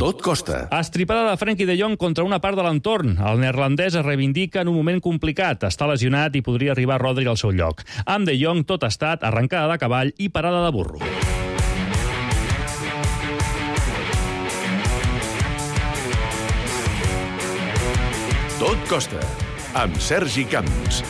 Tot costa. Estripada de Frenkie de Jong contra una part de l'entorn. El neerlandès es reivindica en un moment complicat. Està lesionat i podria arribar Rodri al seu lloc. Amb de Jong tot ha estat arrencada de cavall i parada de burro. Tot costa, amb Sergi Camps.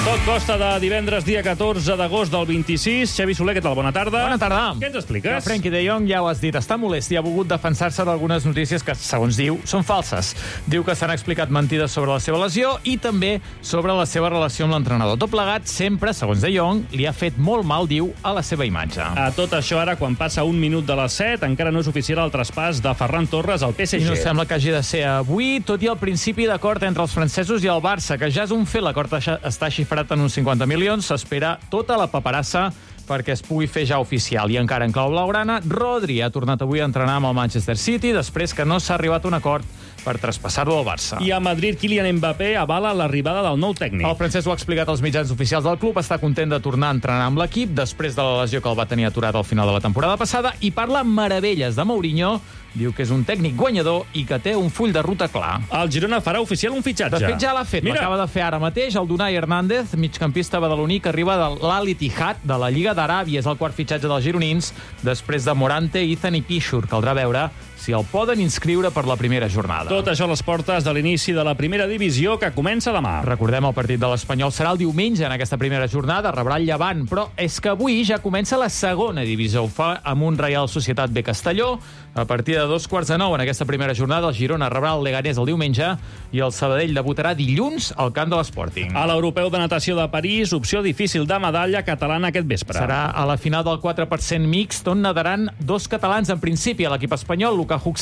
Tot costa de divendres, dia 14 d'agost del 26. Xavi Soler, què tal? Bona tarda. Bona tarda. Què ens expliques? Que Frenkie de Jong, ja ho has dit, està molest i ha volgut defensar-se d'algunes notícies que, segons diu, són falses. Diu que s'han explicat mentides sobre la seva lesió i també sobre la seva relació amb l'entrenador. Tot plegat, sempre, segons de Jong, li ha fet molt mal, diu, a la seva imatge. A tot això, ara, quan passa un minut de les 7, encara no és oficial el traspàs de Ferran Torres al PSG. I no sembla que hagi de ser avui, tot i el principi d'acord entre els francesos i el Barça, que ja és un fet, l'acord està xifrat en uns 50 milions, s'espera tota la paperassa perquè es pugui fer ja oficial. I encara en clau blaugrana, Rodri ha tornat avui a entrenar amb el Manchester City després que no s'ha arribat a un acord per traspassar-lo al Barça. I a Madrid, Kylian Mbappé avala l'arribada del nou tècnic. El francès ho ha explicat als mitjans oficials del club, està content de tornar a entrenar amb l'equip després de la lesió que el va tenir aturat al final de la temporada passada i parla meravelles de Mourinho. Diu que és un tècnic guanyador i que té un full de ruta clar. El Girona farà oficial un fitxatge. De fet, ja l'ha fet. L'acaba de fer ara mateix el Unai Hernández, migcampista badaloní que arriba de l'Al-Ittihad de la Lliga d'Aràbia. És el quart fitxatge dels gironins després de Morante, Izan i Pichur. Caldrà veure si el poden inscriure per la primera jornada. Tot això a les portes de l'inici de la primera divisió que comença demà. Recordem, el partit de l'Espanyol serà el diumenge en aquesta primera jornada, rebrà el Llevant, però és que avui ja comença la segona divisió. Ho fa amb un Reial Societat B Castelló. A partir de 8:45 en aquesta primera jornada, el Girona rebrà el Leganés el diumenge i el Sabadell debutarà dilluns al camp de l'Sporting. A l'Europeu de Natació de París, opció difícil de medalla catalana aquest vespre. Serà a la final del 4% mixt, on nadaran dos catalans en principi, a l'equip espanyol, Luka Huck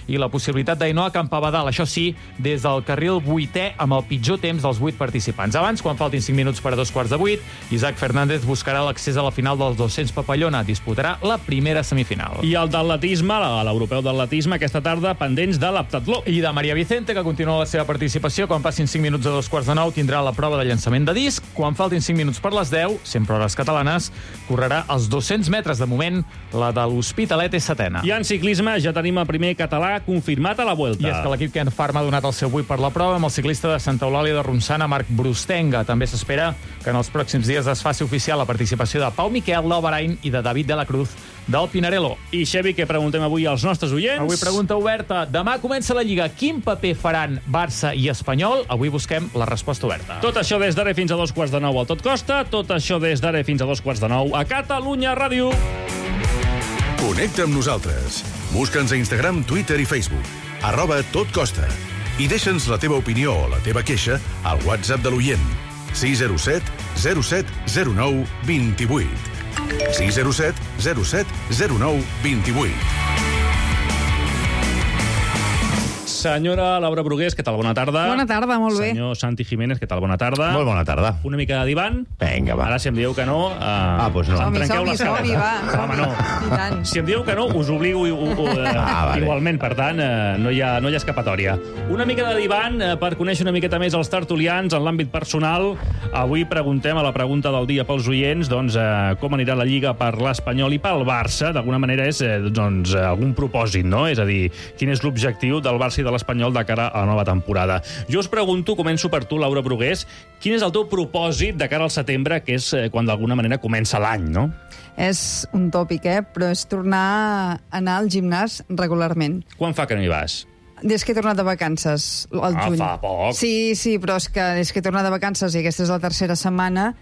i la possibilitat d'Ainoa Campabadal, això sí, des del carril 8è amb el pitjor temps dels 8 participants. Abans, quan faltin 5 minuts per a 7:15, Isaac Fernández buscarà l'accés a la final dels 200 papallona. Disputarà la primera semifinal. I el d'atletisme, a l'Europeu d'atletisme, aquesta tarda pendents de l'heptatló. I de Maria Vicente, que continua la seva participació. Quan passin 5 minuts a 8:45 tindrà la prova de llançament de disc. Quan faltin 5 minuts per les 10, sempre hores catalanes, correrà els 200 metres. De moment, la de l'Hospitalet és setena. I en ciclisme ja tenim el primer català confirmat a la Vuelta. I és que l'equip Ken Farm ha donat el seu 8 per la prova amb el ciclista de Santa Eulàlia de Ronçana, Marc Brustenga. També s'espera que en els pròxims dies es faci oficial la participació de Pau Miquel, del Bahrain, i de David de la Cruz, del Pinarello. I, Xavi, què preguntem avui als nostres oients? Avui pregunta oberta. Demà comença la Lliga. Quin paper faran Barça i Espanyol? Avui busquem la resposta oberta. Tot això des d'ara fins a 8:45 al Tot Costa. Tot això des d'ara fins a 8:45 a Catalunya Ràdio. Connecta amb nosaltres. Busca'ns a Instagram, Twitter i Facebook. @totcosta. I deixa'ns la teva opinió o la teva queixa al WhatsApp de l'oient. 607 07 09 28. 607 07 09 28. Senyora Laura Brugués, què tal? Bona tarda. Bona tarda, molt bé. Senyor Santi Jiménez, què tal? Bona tarda. Molt bona tarda. Una mica de divan. Vinga, va. Ara, si em dieu que no... doncs no. Em trenqueu les Som-hi, va. Home, no. I tant. Si em dieu que no, us obligo vale. igualment. Per tant, no hi ha escapatòria. Una mica de divan per conèixer una miqueta més els tertulians en l'àmbit personal. Avui preguntem a la pregunta del dia pels oients com anirà la Lliga per l'Espanyol i pel Barça. D'alguna manera és algun propòsit, no? És a dir, quin és l'objectiu del Barça i de l'Espanyol de cara a la nova temporada. Jo us pregunto, començo per tu, Laura Brugués, quin és el teu propòsit de cara al setembre, que és quan d'alguna manera comença l'any, no? És un tòpic, però és tornar a anar al gimnàs regularment. Quan fa que no hi vas? Des que he tornat de vacances, al juny. Fa poc. Sí, però és que des que he tornat de vacances i aquesta és la tercera setmana,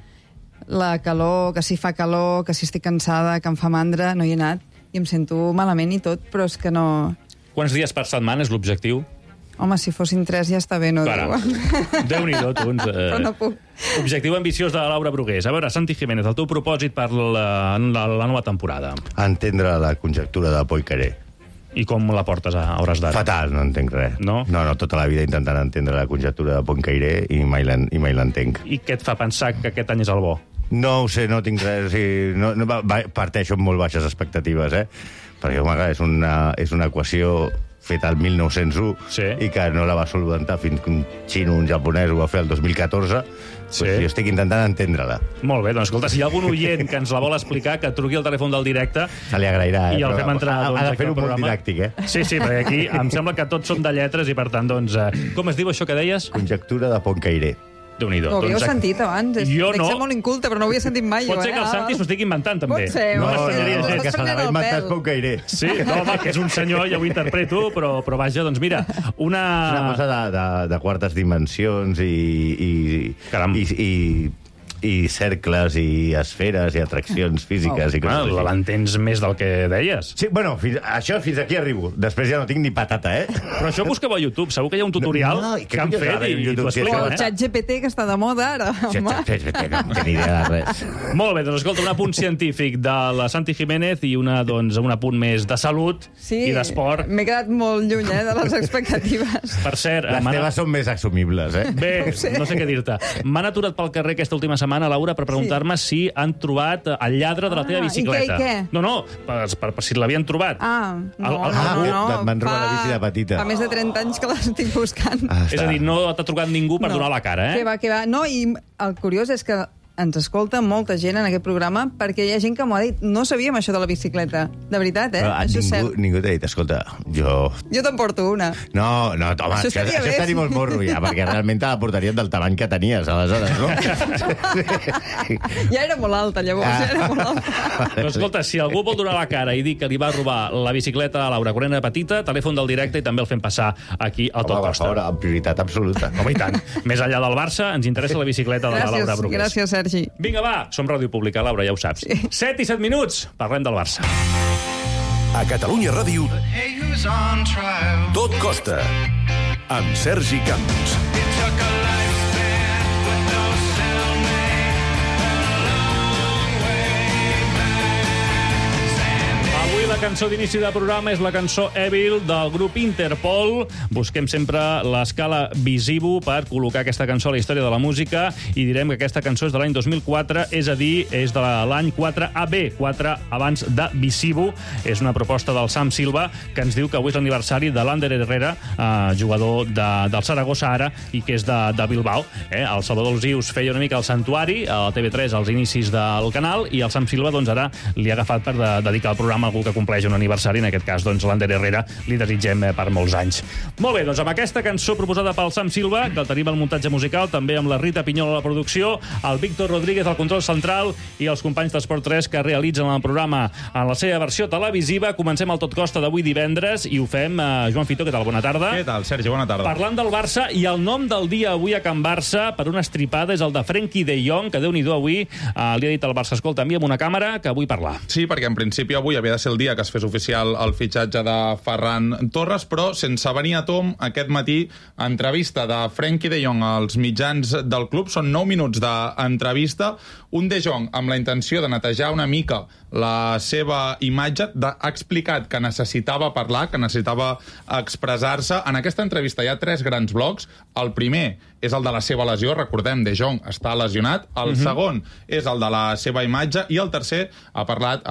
la calor, que si fa calor, que si estic cansada, que em fa mandra, no hi he anat i em sento malament i tot, però és que no... Quants dies per setmana és l'objectiu? Home, si fossin 3 ja està bé, no Clar. Déu-n'hi-do, tu. Però no puc. Objectiu ambiciós de Laura Brugués. A veure, Santi Jiménez, el teu propòsit per la nova temporada. Entendre la conjectura del Poincaré. I com la portes a hores d'ara? Fatal, no entenc res. No? No, tota la vida intentant entendre la conjectura de Poincaré i mai l'entenc. I què et fa pensar que aquest any és el bo? No ho sé, no tinc res... O sigui, parteixo amb molt baixes expectatives, perquè, home, és una equació feta el 1901 i que no la va solventar fins que un xino, un japonès, ho va fer el 2014, jo estic intentant entendre-la. Molt bé, doncs escolta, si hi ha algun oient que ens la vol explicar, que truqui al telèfon del directe. Se li agrairà, I el fem entrar, doncs, ha de fer-ho molt didàctic, Sí, perquè aquí em sembla que tots som de lletres i, per tant, doncs, com es diu això que deies? Conjectura de Pontcaire. Déu-n'hi-do. Ho havíeu sentit abans? Jo no. Dic ser molt inculte, però no ho havia sentit mai. Pot ser que el Santi s'ho estigui inventant, també. Pot ser. No, que se l'ha inventat Pontcaire. Sí, no, home, que és un senyor, ja ho interpreto, però vaja, doncs mira, una cosa de quartes dimensions i cercles i esferes i atraccions físiques i coses així. L'entens més del que deies. Sí, bueno, fins aquí arribo. Després ja no tinc ni patata, Però això busqueu a YouTube. Segur que hi ha un tutorial que han fet i t'ho explica. O el ChatGPT, que està de moda ara. ChatGPT, no té ni idea de res. Molt bé, doncs escolta, un apunt científic de la Santi Jiménez i un apunt més de salut i d'esport. M'he quedat molt lluny, de les expectatives. Per cert... Les teves són més assumibles, Bé, no sé què dir-te. M'han aturat pel carrer aquesta última setmana, Laura, per preguntar-me si han trobat el lladre de la teva bicicleta. I què? No, per si l'havien trobat. No. Van robar la bici de petita. Fa més de 30 anys que l'estic buscant. És a dir, no t'ha trucat ningú per donar la cara, Què va. No, i el curiós és que ens escolta molta gent en aquest programa perquè hi ha gent que m'ho ha dit. No sabíem això de la bicicleta. De veritat, això és cert. Ningú t'ha dit, escolta, jo te'n porto una. No, home, això estaria molt morro ja, perquè realment te la portarien del tamany que tenies, aleshores, no? Ja era molt alta, llavors, Però escolta, si algú vol donar la cara i dir que li va robar la bicicleta a Laura Corena de petita, telèfon del directe i també el fem passar aquí al Tot Costa. Amb prioritat absoluta. Home, i tant. Més enllà del Barça, ens interessa la bicicleta de la Laura Brugués. Gràcies, Sergi. Vinga, va, som Ràdio Pública, Laura, ja ho saps. 7 i 7 minuts, parlem del Barça. A Catalunya Ràdio, Tot Costa, amb Sergi Camps. La cançó d'inici del programa és la cançó Evil del grup Interpol. Busquem sempre l'escala Visivo per col·locar aquesta cançó a la història de la música i direm que aquesta cançó és de l'any 2004, és a dir, és de l'any 4AB, 4 abans de Visivo. És una proposta del Sam Silva que ens diu que avui és l'aniversari de l'Ander Herrera, jugador del Saragossa ara i que és de Bilbao. El Salvador Alzius feia una mica el santuari a TV3 als inicis del canal i el Sam Silva doncs ara li ha agafat per dedicar el programa a algú que compleix un aniversari, en aquest cas, doncs, l'Ander Herrera, li desitgem per molts anys. Molt bé, doncs amb aquesta cançó proposada pel Sam Silva, que tenim el muntatge musical, també amb la Rita Pinyol a la producció, el Víctor Rodríguez al control central i els companys d'Esport 3 que realitzen el programa en la seva versió televisiva. Comencem el Tot Costa d'avui divendres i ho fem, Joan Fito, què tal? Bona tarda. Què tal, Sergi? Bona tarda. Parlant del Barça, i el nom del dia avui a Can Barça, per una estripada, és el de Frenkie de Jong, que Déu-n'hi-do avui li ha dit al Barça, escolta, envia'm una càmera que vull parlar. Sí, perquè en principi avui havia de ser el dia que es fes oficial el fitxatge de Ferran Torres, però sense venir a tom, aquest matí, entrevista de Frenkie de Jong als mitjans del club. Són 9 minuts d'entrevista. Un de Jong amb la intenció de netejar una mica la seva imatge, ha explicat que necessitava parlar, que necessitava expressar-se. En aquesta entrevista hi ha 3 grans blocs. El primer és el de la seva lesió, recordem, De Jong està lesionat. El segon és el de la seva imatge i el tercer ha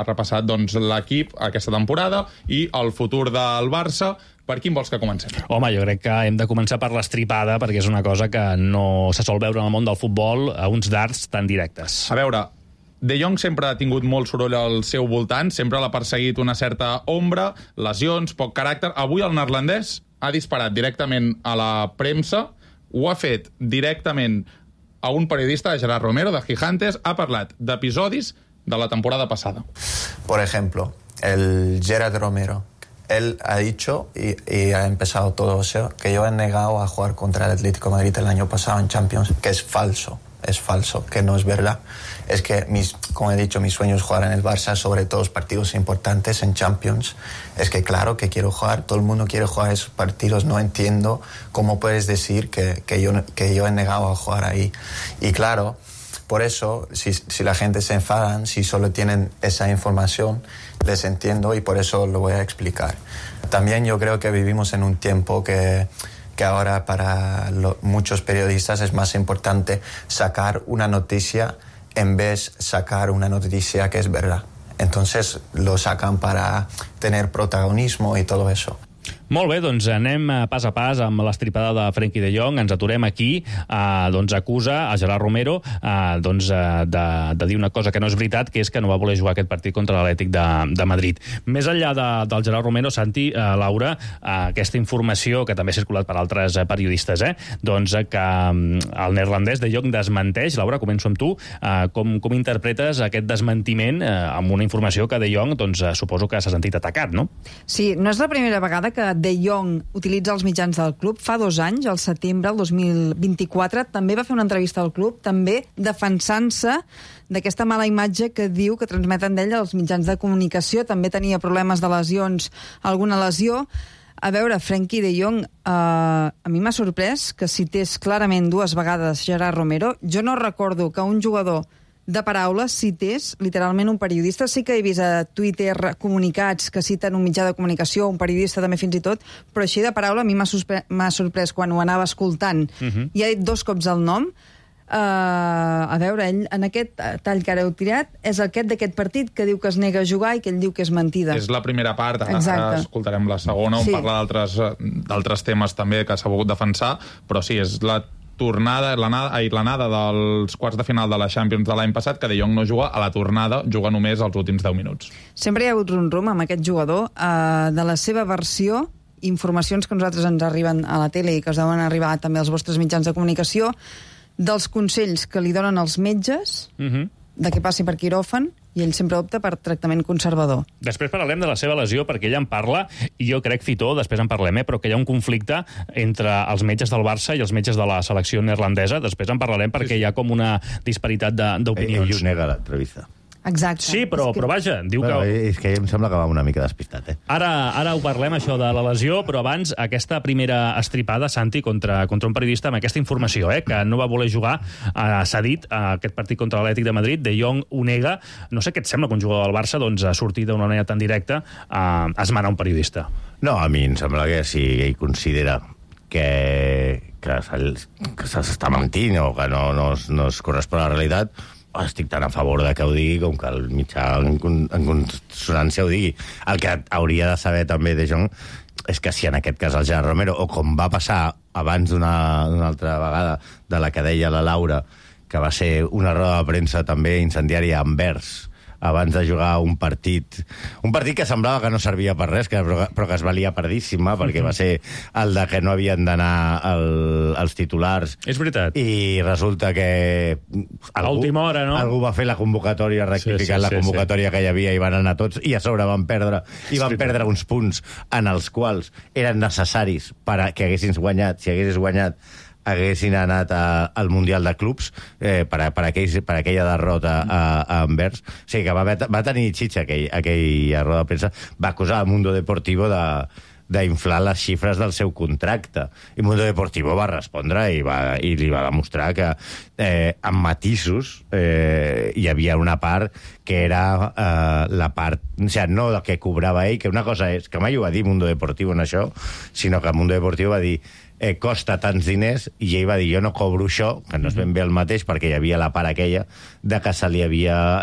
repassat doncs, l'equip aquesta temporada i el futur del Barça. Per quin vols que comencem? Home, jo crec que hem de començar per l'estripada, perquè és una cosa que no se sol veure en el món del futbol a uns darts tan directes. A veure, De Jong sempre ha tingut molt soroll al seu voltant, sempre l'ha perseguit una certa ombra, lesions, poc caràcter. Avui el neerlandès ha disparat directament a la premsa, ho ha fet directament a un periodista, Gerard Romero, de Gigantes, ha parlat d'episodis de la temporada pasada. Por ejemplo, el Gerard Romero, él ha dicho y ha empezado todo eso, que yo he negado a jugar contra el Atlético de Madrid el año pasado en Champions, que es falso, que no es verdad. Es que, como he dicho, mi sueño es jugar en el Barça, sobre todo los partidos importantes en Champions. Es que claro que quiero jugar, todo el mundo quiere jugar esos partidos, no entiendo cómo puedes decir que yo he negado a jugar ahí. Y claro, por eso, si la gente se enfadan, si solo tienen esa información, les entiendo y por eso lo voy a explicar. También yo creo que vivimos en un tiempo que ahora para muchos periodistas es más importante sacar una noticia en vez de sacar una noticia que es verdad. Entonces lo sacan para tener protagonismo y todo eso. Molt bé, doncs anem pas a pas amb l'estripada de Frenkie de Jong. Ens aturem aquí. Acusa a Gerard Romero de dir una cosa que no és veritat, que és que no va voler jugar aquest partit contra l'Atlètic de Madrid. Més enllà del Gerard Romero, Santi, Laura, aquesta informació que també ha circulat per altres periodistes, doncs que el neerlandès de Jong desmenteix. Laura, començo amb tu. Com interpretes aquest desmentiment amb una informació que de Jong, doncs, suposo que s'ha sentit atacat, no? Sí, no és la primera vegada que De Jong utilitza els mitjans del club. Fa 2 anys, al setembre del 2024, també va fer una entrevista al club, també defensant-se d'aquesta mala imatge que diu que transmeten d'ell els mitjans de comunicació. També tenia problemes de lesions, alguna lesió. A veure, Frenkie de Jong, a mi m'ha sorprès que cités clarament 2 vegades Gerard Romero. Jo no recordo que un jugador de paraules cités literalment un periodista. Sí que he vist a Twitter comunicats que citen un mitjà de comunicació, un periodista també fins i tot, però així de paraula a mi m'ha sorprès quan ho anava escoltant. I ha dit 2 cops el nom. A veure, ell en aquest tall que ara heu tirat és aquest d'aquest partit que diu que es nega a jugar i que ell diu que és mentida. És la primera part, ara escoltarem la segona, on parla d'altres temes també que s'ha volgut defensar, però sí, és l'anada dels quarts de final de la Champions de l'any passat, que De Jong no juga, a la tornada juga només els últims 10 minuts. Sempre hi ha hagut rum-rum amb aquest jugador, de la seva versió, informacions que a nosaltres ens arriben a la tele i que us deuen arribar també als vostres mitjans de comunicació, dels consells que li donen els metges, de què passi per quiròfan, i ell sempre opta per tractament conservador. Després parlarem de la seva lesió, perquè ell en parla, i jo crec, Fitó, després en parlem, però que hi ha un conflicte entre els metges del Barça i els metges de la selecció neerlandesa. Després en parlarem perquè hi ha com una disparitat d'opinions. Ell ho nega a l'entrevista. Exacte. Sí, però vaja, diu que... És que em sembla que va una mica despistat, Ara ho parlem, això de la lesió, però abans aquesta primera estripada, Santi, contra un periodista amb aquesta informació, que no va voler jugar, s'ha dit, aquest partit contra l'Atlètic de Madrid. De Jong ho nega. No sé què et sembla que un jugador del Barça ha sortit d'una manera tan directa a esmenar un periodista. No, a mi em sembla que si ell considera que s'està mentint o que no es correspon a la realitat, estic tan a favor de que ho digui com que el mitjà en consonància ho digui. El que hauria de saber també De Jong és que si en aquest cas el Gerard Romero, o com va passar abans d'una altra vegada de la que deia la Laura, que va ser una roda de premsa també incendiària a Anvers, abans de jugar un partit que semblava que no servia per res, però que es valia perdíssima, perquè va ser el de que no havien d'anar els titulars. És veritat. I resulta que a última hora, no? Algú va fer la convocatòria, rectificant la convocatòria que hi havia, i van anar tots, i a sobre van perdre uns punts en els quals eren necessaris per que haguessis guanyat, si haguessis guanyat haguessin anat al Mundial de Clubs per aquella derrota a Anvers. O sigui que va tenir xitxa aquella roda de premsa. Va acusar a Mundo Deportivo d'inflar les xifres del seu contracte. I Mundo Deportivo va respondre i li va demostrar que amb matisos hi havia una part que era la part... O sigui, no el que cobrava ell, que una cosa és... que mai ho va dir Mundo Deportivo en això, sinó que Mundo Deportivo va dir costa tants diners, i ell va dir jo no cobro això, que no és ben bé el mateix, perquè hi havia la part aquella de que se li havia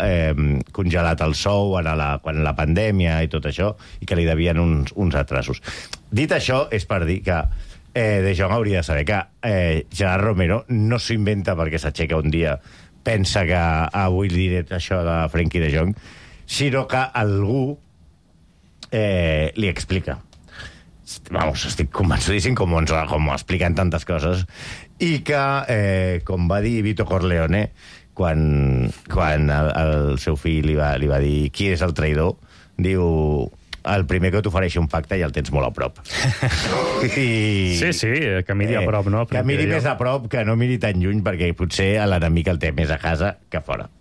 congelat el sou quan la pandèmia i tot això, i que li devien uns atrasos. Dit això, és per dir que De Jong hauria de saber que Gerard Romero no s'ho inventa perquè s'aixeca un dia, pensa que avui diré això de Frenkie de Jong, sinó que algú li explica. Vamos, estic convençudíssim, com ho expliquen tantes coses, i que, com va dir Vito Corleone, quan el seu fill li va dir qui és el traïdor, diu el primer que t'ofereixi un pacte ja el tens molt a prop. Sí, que miri a prop, no? Que miri més a prop, que no miri tan lluny, perquè potser l'enemic el té més a casa que fora.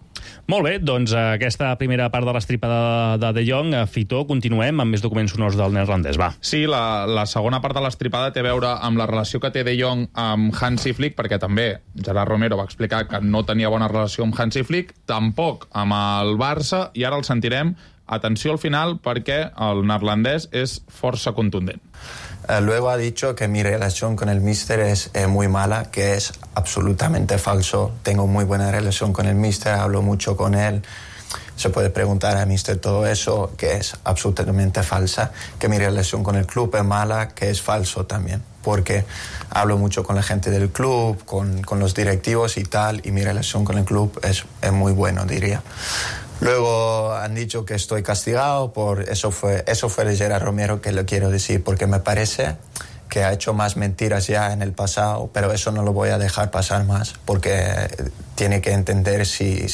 Molt bé, doncs aquesta primera part de l'estripada de Jong. Fitó, continuem amb més documents sonors del neerlandès, va. Sí, la segona part de l'estripada té a veure amb la relació que té De Jong amb Hansi Flick, perquè també Gerard Romero va explicar que no tenia bona relació amb Hansi Flick, tampoc amb el Barça, i ara el sentirem. Atenció al final, perquè el neerlandès és força contundent. Luego ha dicho que mi relación con el míster es muy mala, que es absolutamente falso. Tengo muy buena relación con el míster, hablo mucho con él. se puede preguntar a Mister todo eso, que es absolutamente falsa, que mi relación con el club es mala, que es falso también, porque hablo mucho con la gente del club, con los directivos y tal, y mi relación con el club es muy bueno, diría. Luego han dicho que estoy castigado por eso fue de Gerard Romero, que lo quiero decir, porque me parece que ha hecho más mentiras ya en el pasado, pero eso no lo voy a dejar pasar más, porque tiene que entender si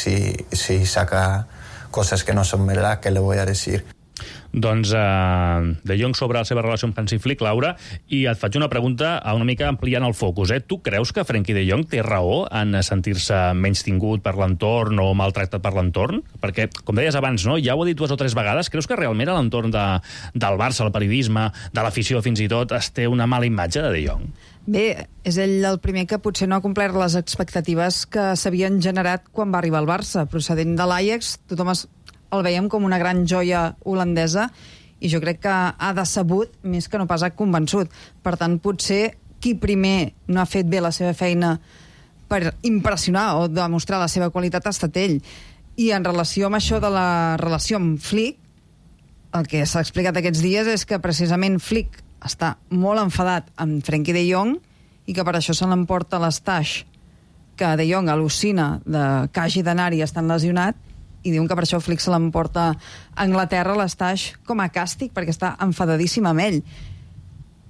saca cosas que no son verdad, que le voy a decir. Doncs De Jong sobre la seva relació amb Hansi Flick, Laura, i et faig una pregunta una mica ampliant el focus. Tu creus que Frenkie de Jong té raó en sentir-se menys tingut per l'entorn o maltractat per l'entorn? Perquè, com deies abans, no? Ja ho he dit 2 o 3 vegades, creus que realment a l'entorn del Barça, el periodisme, de l'afició fins i tot, es té una mala imatge de Jong? Bé, és ell el primer que potser no ha complert les expectatives que s'havien generat quan va arribar al Barça. Procedent de l'Ajax, tothom el veiem com una gran joia holandesa i jo crec que ha decebut més que no pas ha convençut. Per tant, potser qui primer no ha fet bé la seva feina per impressionar o demostrar la seva qualitat ha estat ell. I en relació amb això de la relació amb Flick, el que s'ha explicat aquests dies és que precisament Flick està molt enfadat amb Frenkie de Jong i que per això se l'emporta l'Estaix, que de Jong al·lucina que hagi d'anar-hi estant lesionat, i diuen que per això Flick se l'emporta a Anglaterra, l'Estaix, com a càstig, perquè està enfadadíssim amb ell.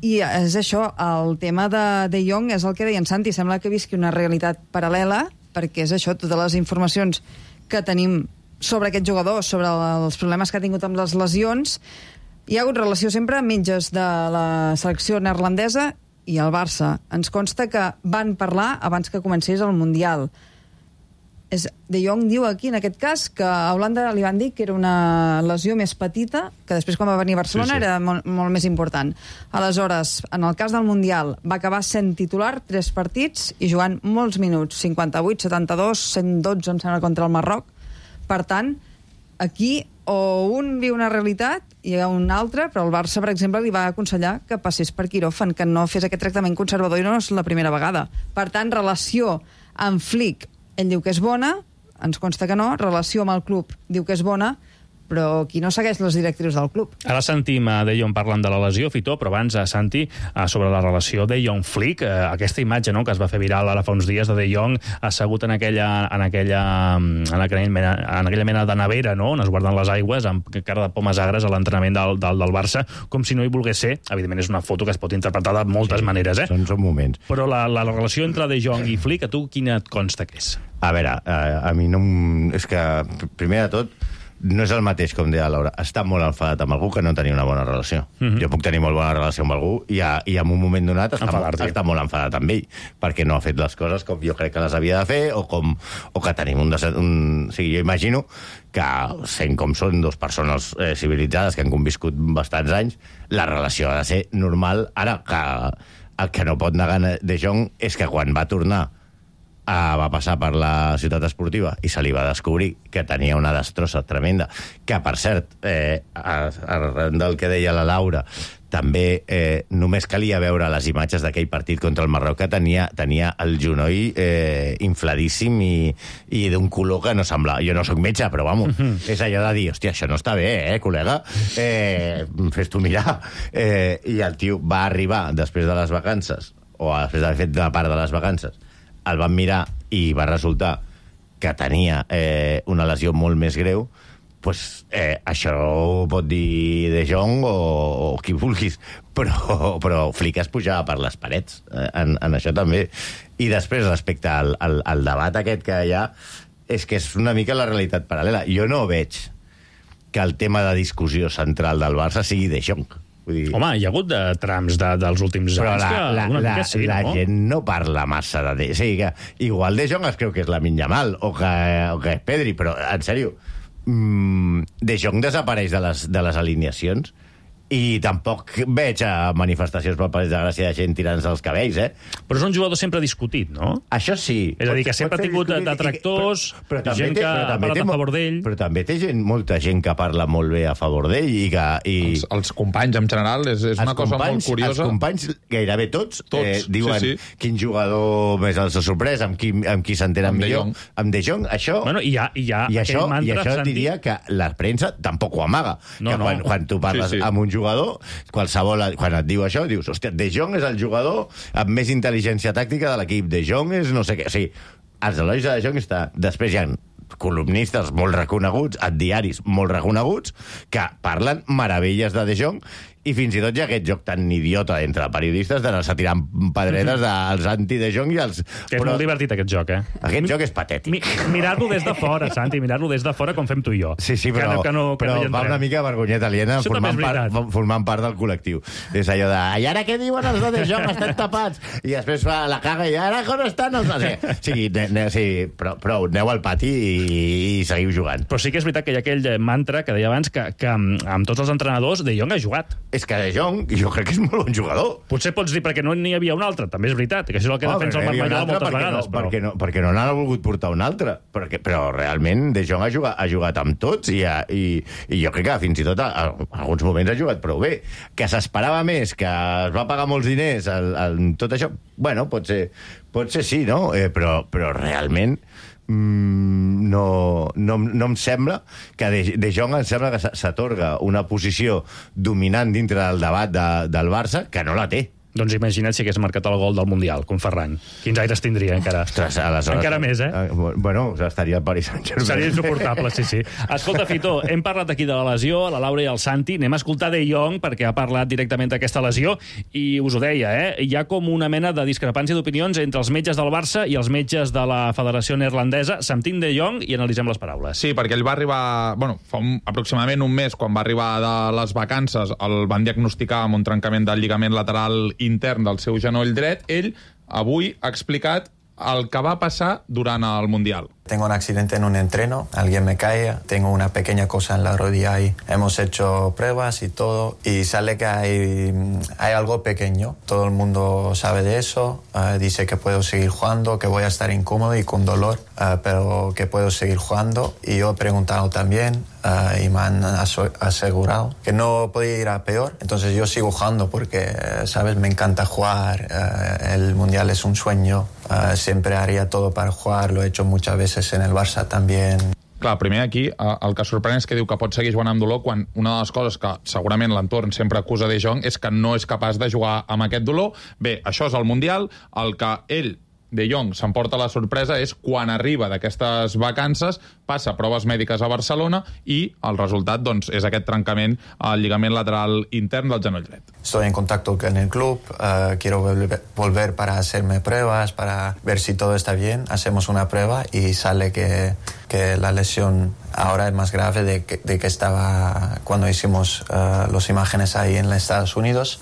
I és això, el tema de Jong és el que deia en Santi, sembla que visqui una realitat paral·lela, perquè és això, totes les informacions que tenim sobre aquest jugador, sobre els problemes que ha tingut amb les lesions. Hi ha hagut relació sempre amb metges de la selecció neerlandesa i el Barça. Ens consta que van parlar abans que comencés el Mundial. De Jong diu aquí, en aquest cas, que a Holanda li van dir que era una lesió més petita, que després quan va venir a Barcelona era molt més important. Aleshores, en el cas del Mundial, va acabar sent titular 3 partits i jugant molts minuts, 58, 72, 112, em sembla, contra el Marroc. Per tant, aquí o un viu una realitat i hi ha un altre, però el Barça, per exemple, li va aconsellar que passés per quiròfan, que no fes aquest tractament conservador i no és la primera vegada. Per tant, relació amb Flick, ell diu que és bona, ens consta que no, relació amb el club diu que és bona, però qui no segueix les directrius del club. Ara sentim De Jong parlant de la lesió, Fito, però abans, Santi, sobre la relació De Jong-Flick, aquesta imatge que es va fer viral ara fa uns dies de Jong assegut en aquella mena de nevera, no?, on es guarden les aigües, amb cara de pomes agres a l'entrenament del Barça, com si no hi volgués ser. Evidentment és una foto que es pot interpretar de moltes maneres, Són moments. Però la relació entre De Jong i Flick, a tu quina et consta que és? A veure, a mi no... És que, primer de tot, no és el mateix, com deia Laura. Està molt enfadat amb algú que no tenia una bona relació. Jo puc tenir molt bona relació amb algú i en un moment donat està molt enfadat amb ell, perquè no ha fet les coses com jo crec que les havia de fer, o que tenim o sigui, jo imagino que, sent com són 2 persones civilitzades que han conviscut bastants anys, la relació ha de ser normal. Ara, que el que no pot negar De Jong és que quan va tornar va passar per la ciutat esportiva i se li va descobrir que tenia una destrossa tremenda, que, per cert, arran del que deia la Laura, també només calia veure les imatges d'aquell partit contra el Marroc, que tenia el genoll infladíssim i d'un color que no semblava... Jo no sóc metge, però vamos, és allò de dir, hòstia, això no està bé, col·lega? Fes-t'ho mirar. I el tio va arribar després de les vacances, o després d'haver fet una part de les vacances, el van mirar i va resultar que tenia una lesió molt més greu, pues, això ho pot dir De Jong o qui vulguis, però Flick es pujava per les parets en això també. I després, respecte al debat aquest que hi ha, és que és una mica la realitat paral·lela. Jo no veig que el tema de discussió central del Barça sigui De Jong. Home, hi ha hagut trams dels últims anys que una mica sí, no? La gent no parla massa de... O sigui que igual De Jong es creu que és Lamine Yamal o que és Pedri, però, en sèrio, De Jong desapareix de les alineacions I tampoc veig manifestacions pel Passeig de Gràcia de gent tirant-se els cabells, Però és un jugador sempre discutit, no? Això sí. És a dir, que sempre ha tingut detractors, gent que ha parlat a favor d'ell. Però també té molta gent que parla molt bé a favor d'ell i que... Els companys, en general, és una cosa molt curiosa. Els companys, gairebé tots diuen quin jugador més els ha sorprès, amb qui s'entenen millor. Amb De Jong, això... Bueno, i això diria que la premsa tampoc ho amaga. Quan tu parles amb un jugador, qualsevol, quan et diu això, dius, hòstia, De Jong és el jugador amb més intel·ligència tàctica de l'equip. De Jong és no sé què. O sigui, els elois de De Jong està... Després hi ha columnistes molt reconeguts, a diaris molt reconeguts, que parlen meravelles de De Jong, i fins i tot hi ha aquest joc tan idiota entre periodistes d'anar-se tirant pedreres als anti-De Jong i als... Que és molt divertit, aquest joc, Aquest joc és patètic. Mirar-lo des de fora, Santi, mirar-lo des de fora com fem tu i jo. Sí, però va una mica vergonyeta aliena formant part del col·lectiu. És allò de, i ara què diuen els de Jong? Estan tapats. I després fa la caga i ara on estan els... Sí, prou, aneu al pati i seguiu jugant. Però sí que és veritat que hi ha aquell mantra que deia abans que amb tots els entrenadors De Jong ha jugat. És que De Jong, jo crec que és molt bon jugador. Potser pots dir perquè no n'hi havia un altre, també és veritat, que això és el que defensa el Marc Mallol moltes vegades. Perquè no n'ha volgut portar un altre. Però realment De Jong ha jugat amb tots i jo crec que fins i tot en alguns moments ha jugat prou bé. Que s'esperava més, que es va pagar molts diners tot això, bueno, pot ser sí, no? Però realment no em sembla que De Jong em sembla que s'atorga una posició dominant dintre del debat del Barça que no la té. Doncs imagina't si hagués marcat el gol del Mundial, com Ferran. Quins aires tindria, encara? Ostres, aleshores... Encara més, Bueno, estaria al Paris Saint-Germain. Seria insuportable, sí. Escolta, Fito, hem parlat aquí de la lesió, la Laura i el Santi. Anem a escoltar De Jong, perquè ha parlat directament d'aquesta lesió, i us ho deia, hi ha com una mena de discrepància d'opinions entre els metges del Barça i els metges de la Federació Neerlandesa. Sentim De Jong i analitzem les paraules. Sí, perquè ell va arribar... fa aproximadament un mes, quan va arribar de les vacances, el van diagnosticar amb un trencament del lligament lateral intern del seu genoll dret. Ell avui ha explicat el que va passar durant el Mundial. Tengo un accidente en un entreno, alguien me cae, tengo una pequeña cosa en la rodilla ahí. Hemos hecho pruebas y todo, y sale que hay algo pequeño. Todo el mundo sabe de eso, dice que puedo seguir jugando, que voy a estar incómodo y con dolor, pero que puedo seguir jugando. Y yo he preguntado también, y me han asegurado que no podía ir a peor. Entonces yo sigo jugando porque, ¿sabes? Me encanta jugar, el Mundial es un sueño, siempre haría todo para jugar, lo he hecho muchas veces en el Barça també. Clar, primer aquí el que sorprèn és que diu que pot seguir jugant amb dolor quan una de les coses que segurament l'entorn sempre acusa De Jong és que no és capaç de jugar amb aquest dolor. Bé, això és el Mundial. El que ell, De Jong, s'emporta la sorpresa és quan arriba d'aquestes vacances, passa proves mèdiques a Barcelona i el resultat doncs, és aquest trencament al lligament lateral intern del genoll dret. Estoy en contacto con el club, quiero volver para hacerme pruebas, para ver si todo está bien. Hacemos una prueba y sale que la lesión ahora es más grave de que estaba cuando hicimos las imágenes ahí en los Estados Unidos.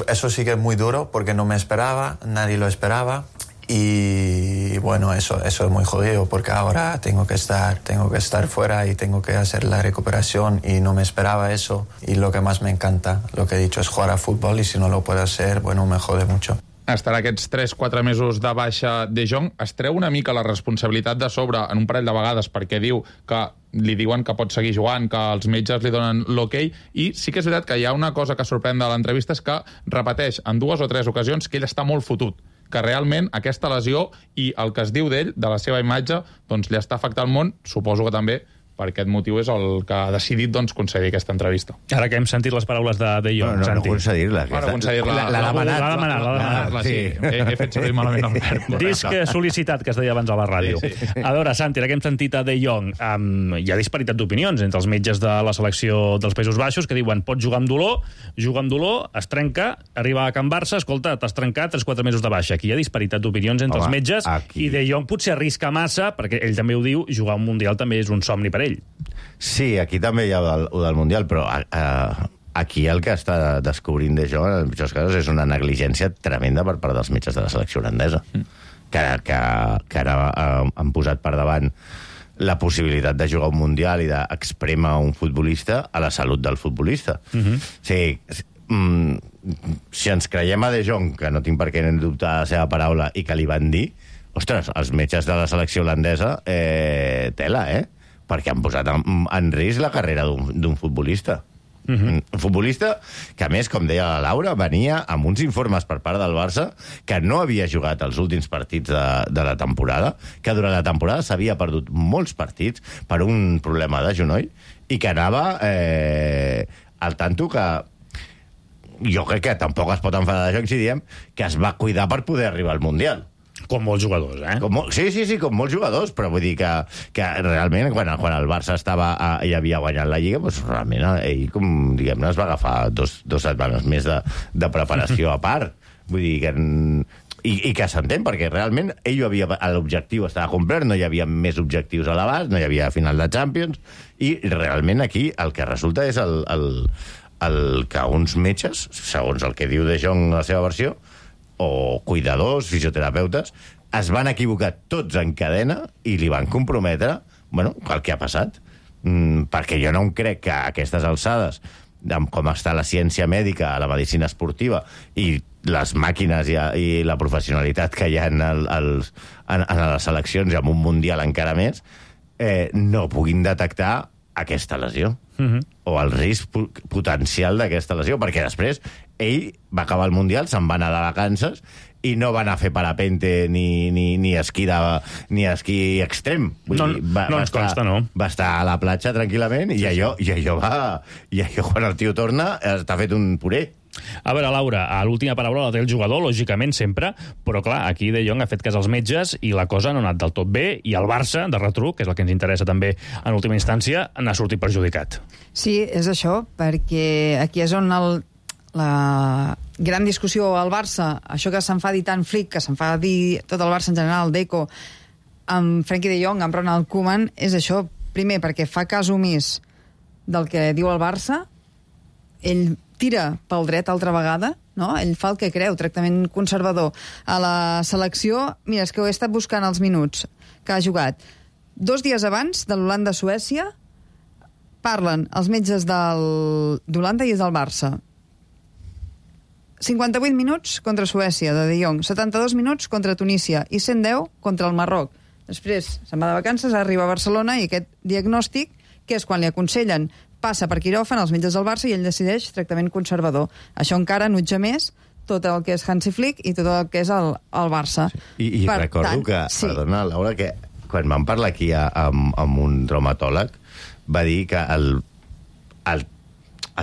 Eso sí que es muy duro porque no me esperaba, nadie lo esperaba. Y bueno, eso es muy jodido porque ahora tengo que estar fuera y tengo que hacer la recuperación y no me esperaba eso. Y lo que más me encanta, lo que he dicho, es jugar a fútbol y si no lo puedo hacer, bueno, me jode mucho. Estarà aquests 3-4 mesos de baixa De Jong. Es treu una mica la responsabilitat de sobre en un parell de vegades perquè diu que li diuen que pot seguir jugant, que els metges li donen l'ok, i sí que és veritat que hi ha una cosa que sorprèn de l'entrevista, és que repeteix en 2 o 3 ocasions que ell està molt fotut, que realment aquesta lesió i el que es diu d'ell, de la seva imatge, doncs li està afectant el món, suposo que també per aquest motiu és el que ha decidit doncs, concedir aquesta entrevista. Ara que hem sentit les paraules de Jong, Santi. No concedir-la. L'ha demanat. Sí, he fet servir malament el verb. Disc sol·licitat, que es deia abans a la ràdio. Sí. A veure, Santi, ara que hem sentit a De Jong, hi ha disparitat d'opinions entre els metges de la selecció dels Països Baixos que diuen pot jugar amb dolor, es trenca, arriba a Can Barça, escolta, t'has trencat 3-4 mesos de baixa. Aquí hi ha disparitat d'opinions entre els metges i De Jong potser arrisca massa, perquè ell també ho diu, jugar un Mundial també és un somni per ell. Sí, aquí també hi ha el del Mundial, però aquí el que està descobrint De Jong, en pitjors casos, és una negligència tremenda per part dels metges de la selecció holandesa, que ara han posat per davant la possibilitat de jugar un Mundial i d'expremar un futbolista a la salut del futbolista. Si ens creiem a De Jong, que no tinc per què dubtar la seva paraula, i que li van dir, ostres, els metges de la selecció holandesa, tela, perquè han posat en risc la carrera d'un futbolista. Un futbolista que, a més, com deia la Laura, venia amb uns informes per part del Barça que no havia jugat els últims partits de la temporada, que durant la temporada s'havia perdut molts partits per un problema de genoll i que anava al tanto que jo crec que tampoc es pot enfadar de Jong si diem que es va cuidar per poder arribar al Mundial. Com molts jugadors, Sí, com molts jugadors, però vull dir que realment quan el Barça i havia guanyat la Lliga, doncs realment ell, com diguem-ne, es va agafar dos setmanes més de preparació a part. Vull dir que... I que s'entén, perquè realment l'objectiu estava complert, no hi havia més objectius a l'abast, no hi havia final de Champions, i realment aquí el que resulta és el que uns metges, segons el que diu De Jong a la seva versió, o cuidadors, fisioterapeutes, es van equivocar tots en cadena i li van comprometre el que ha passat. Perquè jo no em crec que a aquestes alçades, com està la ciència mèdica, la medicina esportiva i les màquines i la professionalitat que hi ha en les seleccions i en un Mundial encara més, no puguin detectar aquesta lesió o el risc potencial d'aquesta lesió, perquè després ell va acabar el Mundial, se'n va anar de vacances i no va anar a fer parapente ni esquí extrem. No ens consta, no. Va estar a la platja tranquil·lament i allò quan el tio torna està fet un puré. A veure, Laura, l'última paraula la té el jugador, lògicament, sempre, però clar, aquí De Jong ha fet cas als metges i la cosa no ha anat del tot bé, i el Barça, de retruc, que és el que ens interessa també en última instància, n'ha sortit perjudicat. Sí, és això, perquè aquí és on la gran discussió al Barça, això que s'enfadi tant Flick, que s'enfadi tot el Barça en general, Deco, amb Frenkie de Jong, amb Ronald Koeman, és això, primer, perquè fa cas omís del que diu el Barça, ell tira pel dret altra vegada, no? Ell fa el que creu, tractament conservador. A la selecció, mira, és que ho he estat buscant els minuts que ha jugat. 2 dies abans de l'Holanda-Suècia parlen els metges d'Holanda i del Barça. 58 minuts contra Suècia, de Jong, 72 minuts contra Tunísia i 110 contra el Marroc. Després se'n va de vacances, arriba a Barcelona i aquest diagnòstic, que és quan li aconsellen passa per quiròfan als metges del Barça i ell decideix tractament conservador. Això encara nutja més tot el que és Hansi Flick i tot el que és el Barça. Sí. I recordo que, perdona, Laura, que quan vam parlar aquí amb un traumatòleg va dir que el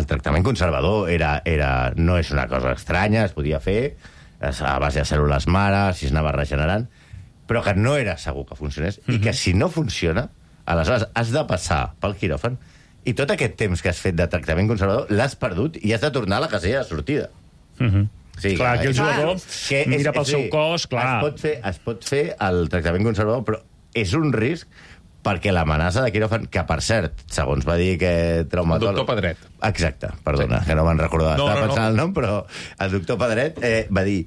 tractament conservador no és una cosa estranya, es podia fer a base de cèl·lules mare, si es anava regenerant, però que no era segur que funcionés i que si no funciona, aleshores has de passar pel quiròfan i tot aquest temps que has fet de tractament conservador l'has perdut i has de tornar a la casella de sortida. Sí, clar, aquí el jugador mira pel seu cos, clar. Es pot fer el tractament conservador, però és un risc perquè l'amenaça de quiròfan, que per cert, segons va dir que traumatòleg... El doctor Pedret. Exacte, perdona, que no me'n recordava. Estava pensant el nom, però el doctor Pedret va dir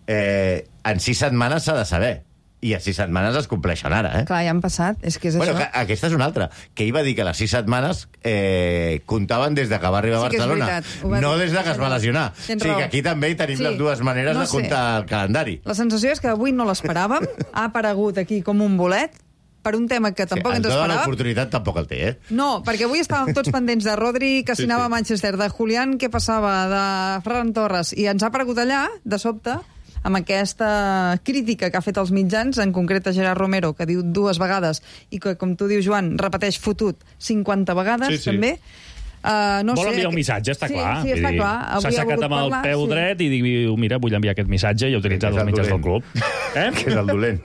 en 6 setmanes s'ha de saber. I a 6 setmanes es compleixen ara, Clar, ja han passat, és que és això. Aquesta és una altra, que ell va dir que les 6 setmanes comptaven des de que va arribar a Barcelona, no des de que es va lesionar. O sigui que aquí també tenim les dues maneres de comptar el calendari. La sensació és que avui no l'esperàvem, ha aparegut aquí com un bolet, per un tema que tampoc ens esperàvem. L'oportunitat tampoc el té, No, perquè avui estàvem tots pendents de Rodri, que s'anava a Manchester, de Julián, què passava, de Ferran Torres, i ens ha aparegut allà, de sobte, amb aquesta crítica que ha fet als mitjans, en concret a Gerard Romero, que diu 2 vegades, i que, com tu dius, Joan, repeteix fotut 50 vegades, també. Vol enviar un missatge, està clar. Sí, està clar. S'ha aixecat amb el peu dret i diu, mira, vull enviar aquest missatge i ha utilitzat els mitjans del club. Que és el dolent.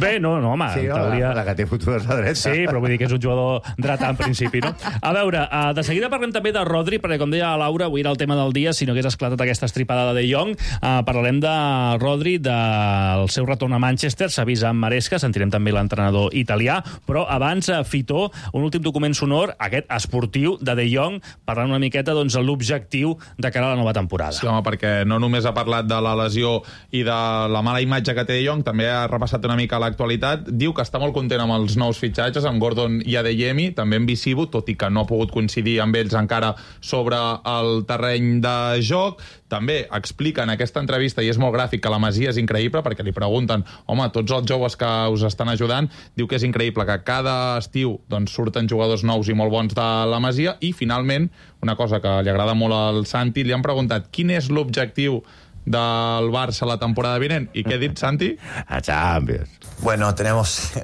Bé, no, home. Sí, la que té futures a dreta. Sí, però vull dir que és un jugador dretà en principi, no? A veure, de seguida parlem també de Rodri, perquè com deia la Laura, avui era el tema del dia, si no hagués esclatat aquesta estripada de De Jong. Parlarem de Rodri, del seu retorn a Manchester, s'ha vist amb Maresca, sentirem també l'entrenador italià, però abans, Fitó, un últim document sonor, aquest esportiu de De Jong, parlant una miqueta doncs, l'objectiu de cara a la nova temporada. Sí, home, perquè no només ha parlat de la lesió i de la mala imatge que té Frenkie de Jong també ha repassat una mica l'actualitat. Diu que està molt content amb els nous fitxatges, amb Gordon i Adeyemi, també amb Visibo, tot i que no ha pogut coincidir amb ells encara sobre el terreny de joc. També explica en aquesta entrevista, i és molt gràfic, que la Masia és increïble, perquè li pregunten, home, tots els joves que us estan ajudant, diu que és increïble, que cada estiu doncs, surten jugadors nous i molt bons de la Masia, i finalment, una cosa que li agrada molt al Santi, li han preguntat quin és l'objectiu del Barça la temporada vinent. ¿Y qué ha dit, Santi? A Champions. Bueno,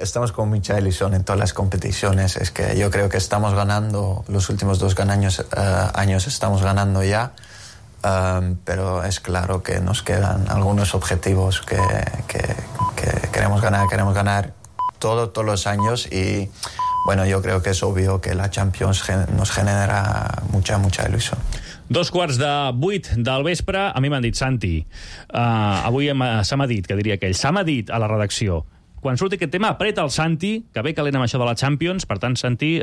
estamos con mucha ilusión en todas las competiciones. Es que yo creo que estamos ganando, los últimos 2 años estamos ganando ya, pero es claro que nos quedan algunos objetivos que queremos ganar todos los años, y bueno, yo creo que es obvio que la Champions nos genera mucha ilusión. 7:15 del vespre, a mi m'han dit, Santi, avui se m'ha dit, que diria aquell, se m'ha dit a la redacció, quan surti aquest tema, apreta el Santi, que ve calent amb això de la Champions. Per tant, Santi,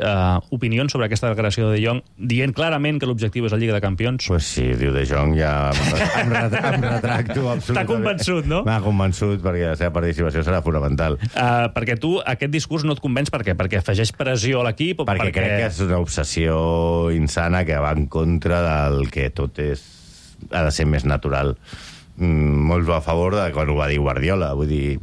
opinions sobre aquesta declaració de De Jong, dient clarament que l'objectiu és la Lliga de Campions? Pues sí, diu De Jong, ja em retracto absolutament. T'ha convençut, no? M'ha convençut, perquè la seva participació serà fonamental. Perquè tu, aquest discurs no et convenç, per què? Perquè afegeix pressió a l'equip? Perquè crec que és una obsessió insana que va en contra del que tot ha de ser més natural. Molt a favor de quan ho va dir Guardiola, vull dir,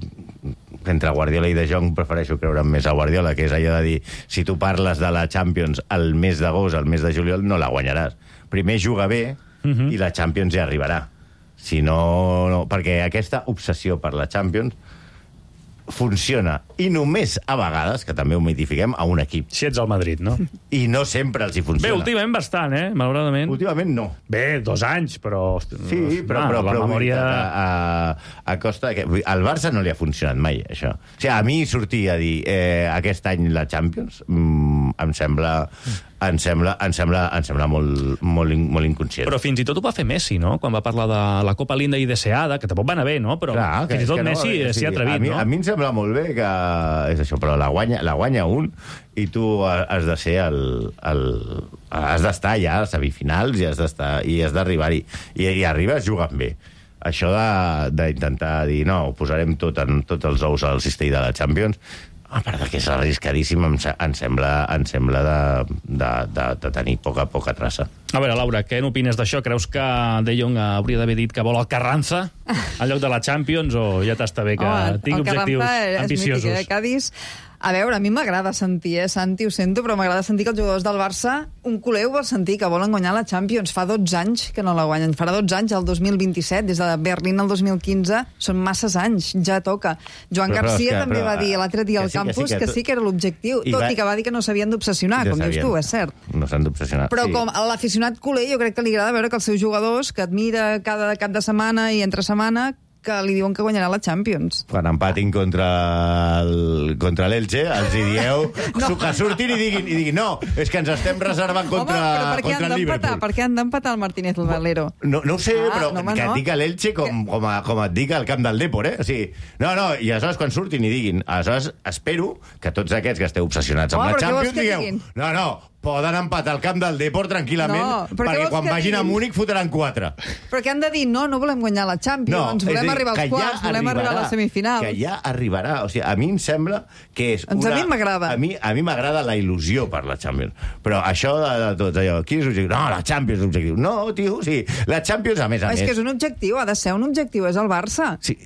entre Guardiola i De Jong prefereixo creure més a Guardiola, que és allò de dir, si tu parles de la Champions al mes d'agost, al mes de juliol, no la guanyaràs. Primer juga bé i la Champions ja arribarà. Si no, perquè aquesta obsessió per la Champions funciona, i només a vegades, que també ho mitifiquem, a un equip. Si ets al Madrid, no? I no sempre els hi funciona. Bé, últimament bastant, malauradament. Últimament no. Bé, 2 anys, però... Sí, però la memòria... a costa... Al Barça no li ha funcionat mai, això. O sigui, a mi sortir a dir aquest any la Champions em sembla molt inconscient. Però fins i tot ho va fer Messi, no? Quan va parlar de la Copa Linda i deseada, que tampoc va anar bé, no? Però clar, fins i tot Messi s'hi ha atrevit, no? A mi em sembla molt bé que és això, però la guanya un, i tu has de ser has d'estar ja a semifinals i has d'arribar-hi. I arribes jugant bé. Això d'intentar dir, no, ho posarem tots els ous al cistell de la Champions, a part que és arriscadíssim, em sembla de tenir poca traça. A veure, Laura, què n'opines d'això? Creus que De Jong hauria d'haver dit que vol el Carranza en lloc de la Champions, o ja t'està bé que tingui objectius ambiciosos? El Carranza és mític, Cádiz. A veure, a mi m'agrada sentir, Santi, ho sento, però m'agrada sentir que els jugadors del Barça, un culer ho vol sentir, que volen guanyar la Champions. Fa 12 anys que no la guanyen. Farà 12 anys, el 2027, des de Berlín al 2015, són masses anys, ja toca. Joan Garcia també va dir l'altre dia al campus que sí que era l'objectiu, tot i que va dir que no s'havien d'obsessionar, com dius tu, és cert. No s'han d'obsessionar. Però com a l'aficionat culer, jo crec que li agrada veure que els seus jugadors, que admira cada cap de setmana i entre setmana, que li diuen que guanyarà la Champions. Quan empatin contra l'Elche, els hi dieu que surtin i diguin no, és que ens estem reservant contra el Liverpool. Per què han d'empatar el Martínez Valero? No ho sé, però que et dic a l'Elche com et dic al camp del Depor, O sigui, no, i aleshores quan surtin i diguin, aleshores espero que tots aquests que esteu obsessionats amb la Champions digueu, no, poden empatar al camp del Depor tranquil·lament, perquè quan vagin a Múnich fotran 4. Però què han de dir? No volem guanyar la Champions, volem arribar als quarts, volem arribar a les semifinals. Que ja arribarà. O sigui, a mi em sembla que és una... A mi m'agrada. A mi m'agrada la il·lusió per la Champions. Però això de tot allò, quin és l'objectiu? No, la Champions és l'objectiu. No, tio, sí, la Champions, a més. És que és un objectiu, ha de ser un objectiu, és el Barça. Sí.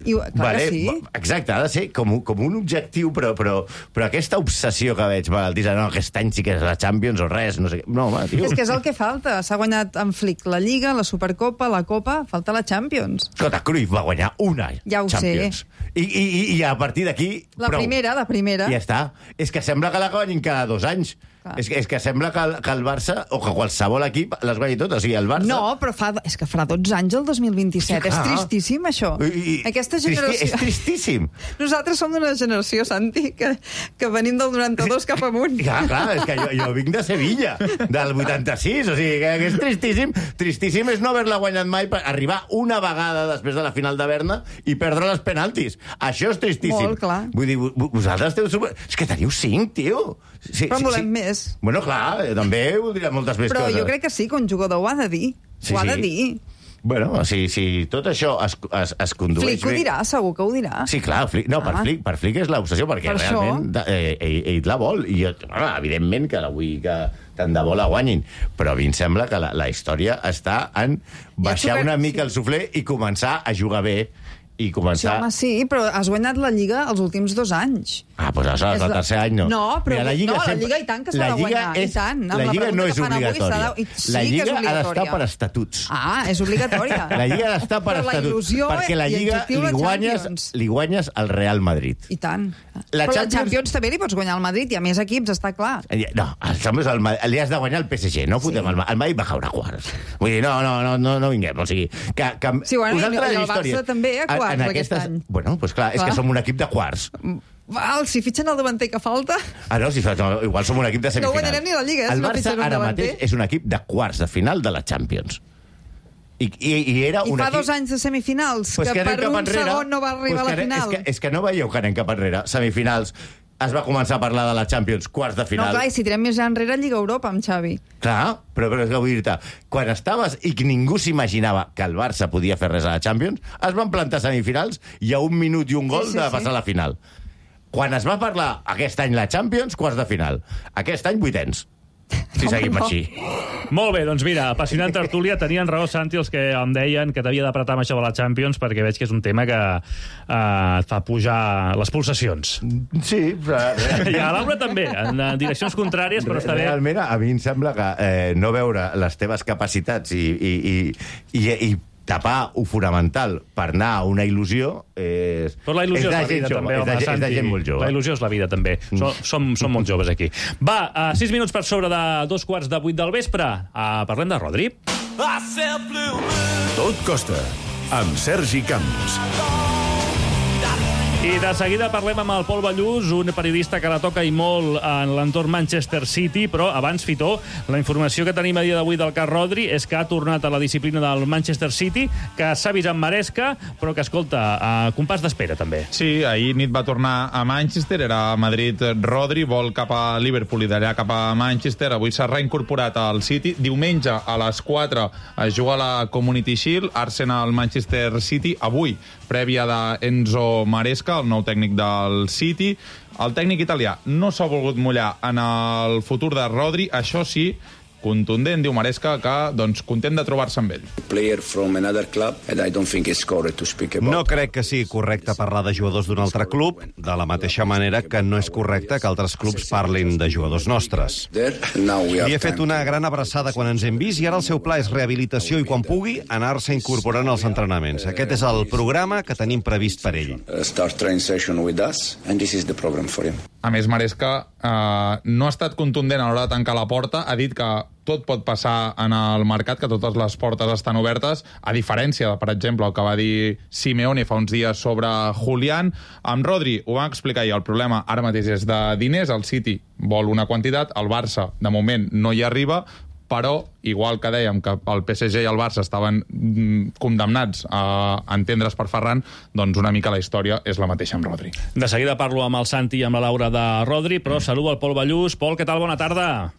Clar que sí. Exacte, ha de ser com un objectiu, però aquesta obsessió que veig, no, aquest any sí que és la Champions o res, no sé què. No, home, tio. És que és el que falta. S'ha guanyat en Flick la Lliga, la Supercopa, la Copa, falta la Champions. Escolta, Cruyff va guanyar una Champions. I a partir d'aquí... La primera. Ja està. És que sembla que la guanyin cada 2 anys. És que sembla que el Barça, o que qualsevol equip, les guanyi totes. O sigui, el Barça... No, però és que farà 12 anys el 2027. Sí, és tristíssim, això. Aquesta generació... És tristíssim. Nosaltres som d'una generació, Santi, que venim del 92 cap amunt. Clar, és que jo vinc de Sevilla, del 86, o sigui, que és tristíssim. Tristíssim és no haver-la guanyat mai, per arribar una vegada després de la final de Berna i perdre les penaltis. Això és tristíssim. Molt clar. Vull dir, vosaltres esteu... És que teniu 5, tio. Però en volem més. Bueno, clar, també voldria moltes més coses. Però jo crec que sí, que un jugador ho ha de dir. Ho ha de dir. Bueno, si tot això es condueix... Flick ho dirà, segur que ho dirà. Sí, clar, per Flick és l'obsessió, perquè realment ell la vol, i evidentment que la vull que tant de bo la guanyin, però a mi em sembla que la història està en baixar una mica el suflé i començar a jugar bé, i començar... Sí, home, sí, però has guanyat la Lliga els últims 2 anys. Doncs aleshores, el tercer any no. No, però mira, la Lliga i tant que s'ha de guanyar. La Lliga no és obligatòria. La Lliga ha d'estar per estatuts. És obligatòria. La Lliga ha d'estar per estatuts, perquè la Lliga li guanyes al Real Madrid. I tant. Però la Champions també li pots guanyar al Madrid, i a més equips, està clar. No, li has de guanyar al PSG, no fotem el Madrid va caure a quarts. Vull dir, no vinguem, o sigui... Sí, bueno, i el Barça també a quarts aquest any. Bueno, doncs clar, és que som un equip de quarts. Si fitxen el davanter que falta... No, igual som un equip de semifinals. No guanyarem ni la Lliga, el Barça ara mateix és un equip de quarts de final de la Champions. I fa 2 anys de semifinals, que per un segon no va arribar a la final. És que no veieu que anem cap enrere. Semifinals, es va començar a parlar de la Champions, quarts de final... No, clar, i si tirem més enrere, Lliga Europa amb Xavi. Clar, però és que vull dir-te, quan estaves i que ningú s'imaginava que el Barça podia fer res a la Champions, es van plantar semifinals i a 1 minut i un gol de passar a la final. Quan es va parlar aquest any la Champions, quarts de final. Aquest any, 8ens. Si seguim així. Molt bé, doncs mira, apassionant tertúlia. Tenien raó, Santi, els que em deien que t'havia d'apretar amb això de la Champions, perquè veig que és un tema que et fa pujar les pulsacions. Sí, però... I a Laura també, en direccions contràries, però està bé. Realment, a mi em sembla que no veure les teves capacitats i tapar ho fonamental per anar a una il·lusió és... Però la il·lusió és la vida, també, home, Santi. És de gent molt jove. La il·lusió és la vida, també. Som molt joves, aquí. Va, 6 minuts per sobre de 2:15 del vespre. Parlem de Rodri. Tot costa, amb Sergi Camps. I de seguida parlem amb el Pol Ballús, un periodista que la toca i molt en l'entorn Manchester City, però abans, Fitó, la informació que tenim a dia d'avui del cas Rodri és que ha tornat a la disciplina del Manchester City, que s'ha vist en Maresca, però que, escolta, compàs d'espera, també. Sí, ahir nit va tornar a Manchester, era a Madrid Rodri, vol cap a Liverpool i d'allà cap a Manchester. Avui s'ha reincorporat al City. Diumenge a les 4 es juga la Community Shield, Arsenal-Manchester City. Avui, prèvia d'Enzo Maresca, el nou tècnic del City. El tècnic italià no s'ha volgut mullar en el futur de Rodri, això sí, contundent, diu Maresca, que content de trobar-se amb ell. No crec que sigui correcte parlar de jugadors d'un altre club, de la mateixa manera que no és correcte que altres clubs parlin de jugadors nostres. Li he fet una gran abraçada quan ens hem vist i ara el seu pla és rehabilitació i quan pugui anar-se incorporant als entrenaments. Aquest és el programa que tenim previst per ell. A més, Maresca no ha estat contundent a l'hora de tancar la porta, ha dit que tot pot passar en el mercat, que totes les portes estan obertes, a diferència de, per exemple, el que va dir Simeone fa uns dies sobre Julián. Amb Rodri ho vam explicar i el problema ara mateix és de diners, el City vol una quantitat, el Barça de moment no hi arriba, però, igual que dèiem que el PSG i el Barça estaven condemnats a entendre's per Ferran, doncs una mica la història és la mateixa amb Rodri. De seguida parlo amb el Santi i amb la Laura de Rodri, però saludo el Pol Ballús. Pol, què tal? Bona tarda.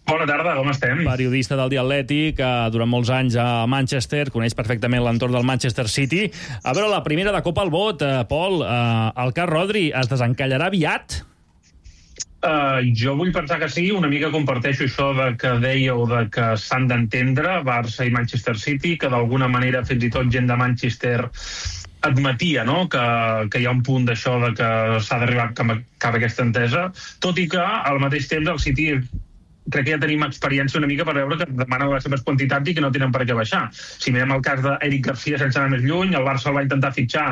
Bona tarda, com estem? Periodista del Dia Atlètic, durant molts anys a Manchester, coneix perfectament l'entorn del Manchester City. A veure, la primera de cop al vot, Pol, el cas Rodri es desencallarà aviat? Jo vull pensar que sí, una mica comparteixo això de que dèieu de que s'han d'entendre Barça i Manchester City, que d'alguna manera fins i tot gent de Manchester admetia, no?, que hi ha un punt d'això de que s'ha d'arribar cap a aquesta entesa, tot i que al mateix temps el City crec que ja tenim experiència una mica per veure que demanen les seves quantitats i que no tenen per què baixar. Si mirem el cas d'Eric Garcia sense anar més lluny, el Barça el va intentar fitxar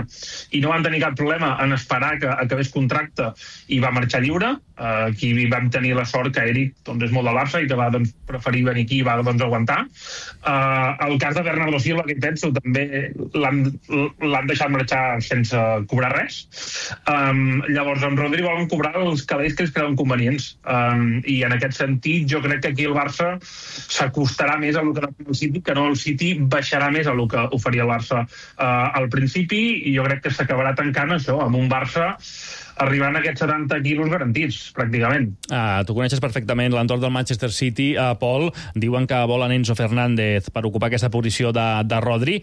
i no van tenir cap problema en esperar que acabés contracte i va marxar lliure. Aquí vam tenir la sort que Eric és molt del Barça i que va preferir venir aquí i va aguantar. El cas de Bernardo Silva, que penso, també l'han deixat marxar sense cobrar res. Llavors, en Rodri volen cobrar els calés que ells creuen convenients. I en aquest sentit, jo crec que aquí el Barça s'acostarà més a lo que el City, que no el City baixarà més a lo que oferia el Barça al principi, i jo crec que s'acabarà tancant això amb un Barça arribant a aquests 70 quilos garantits, pràcticament. Tu coneixes perfectament l'entorn del Manchester City, Pol. Diuen que volen Enzo Fernández per ocupar aquesta posició de Rodri.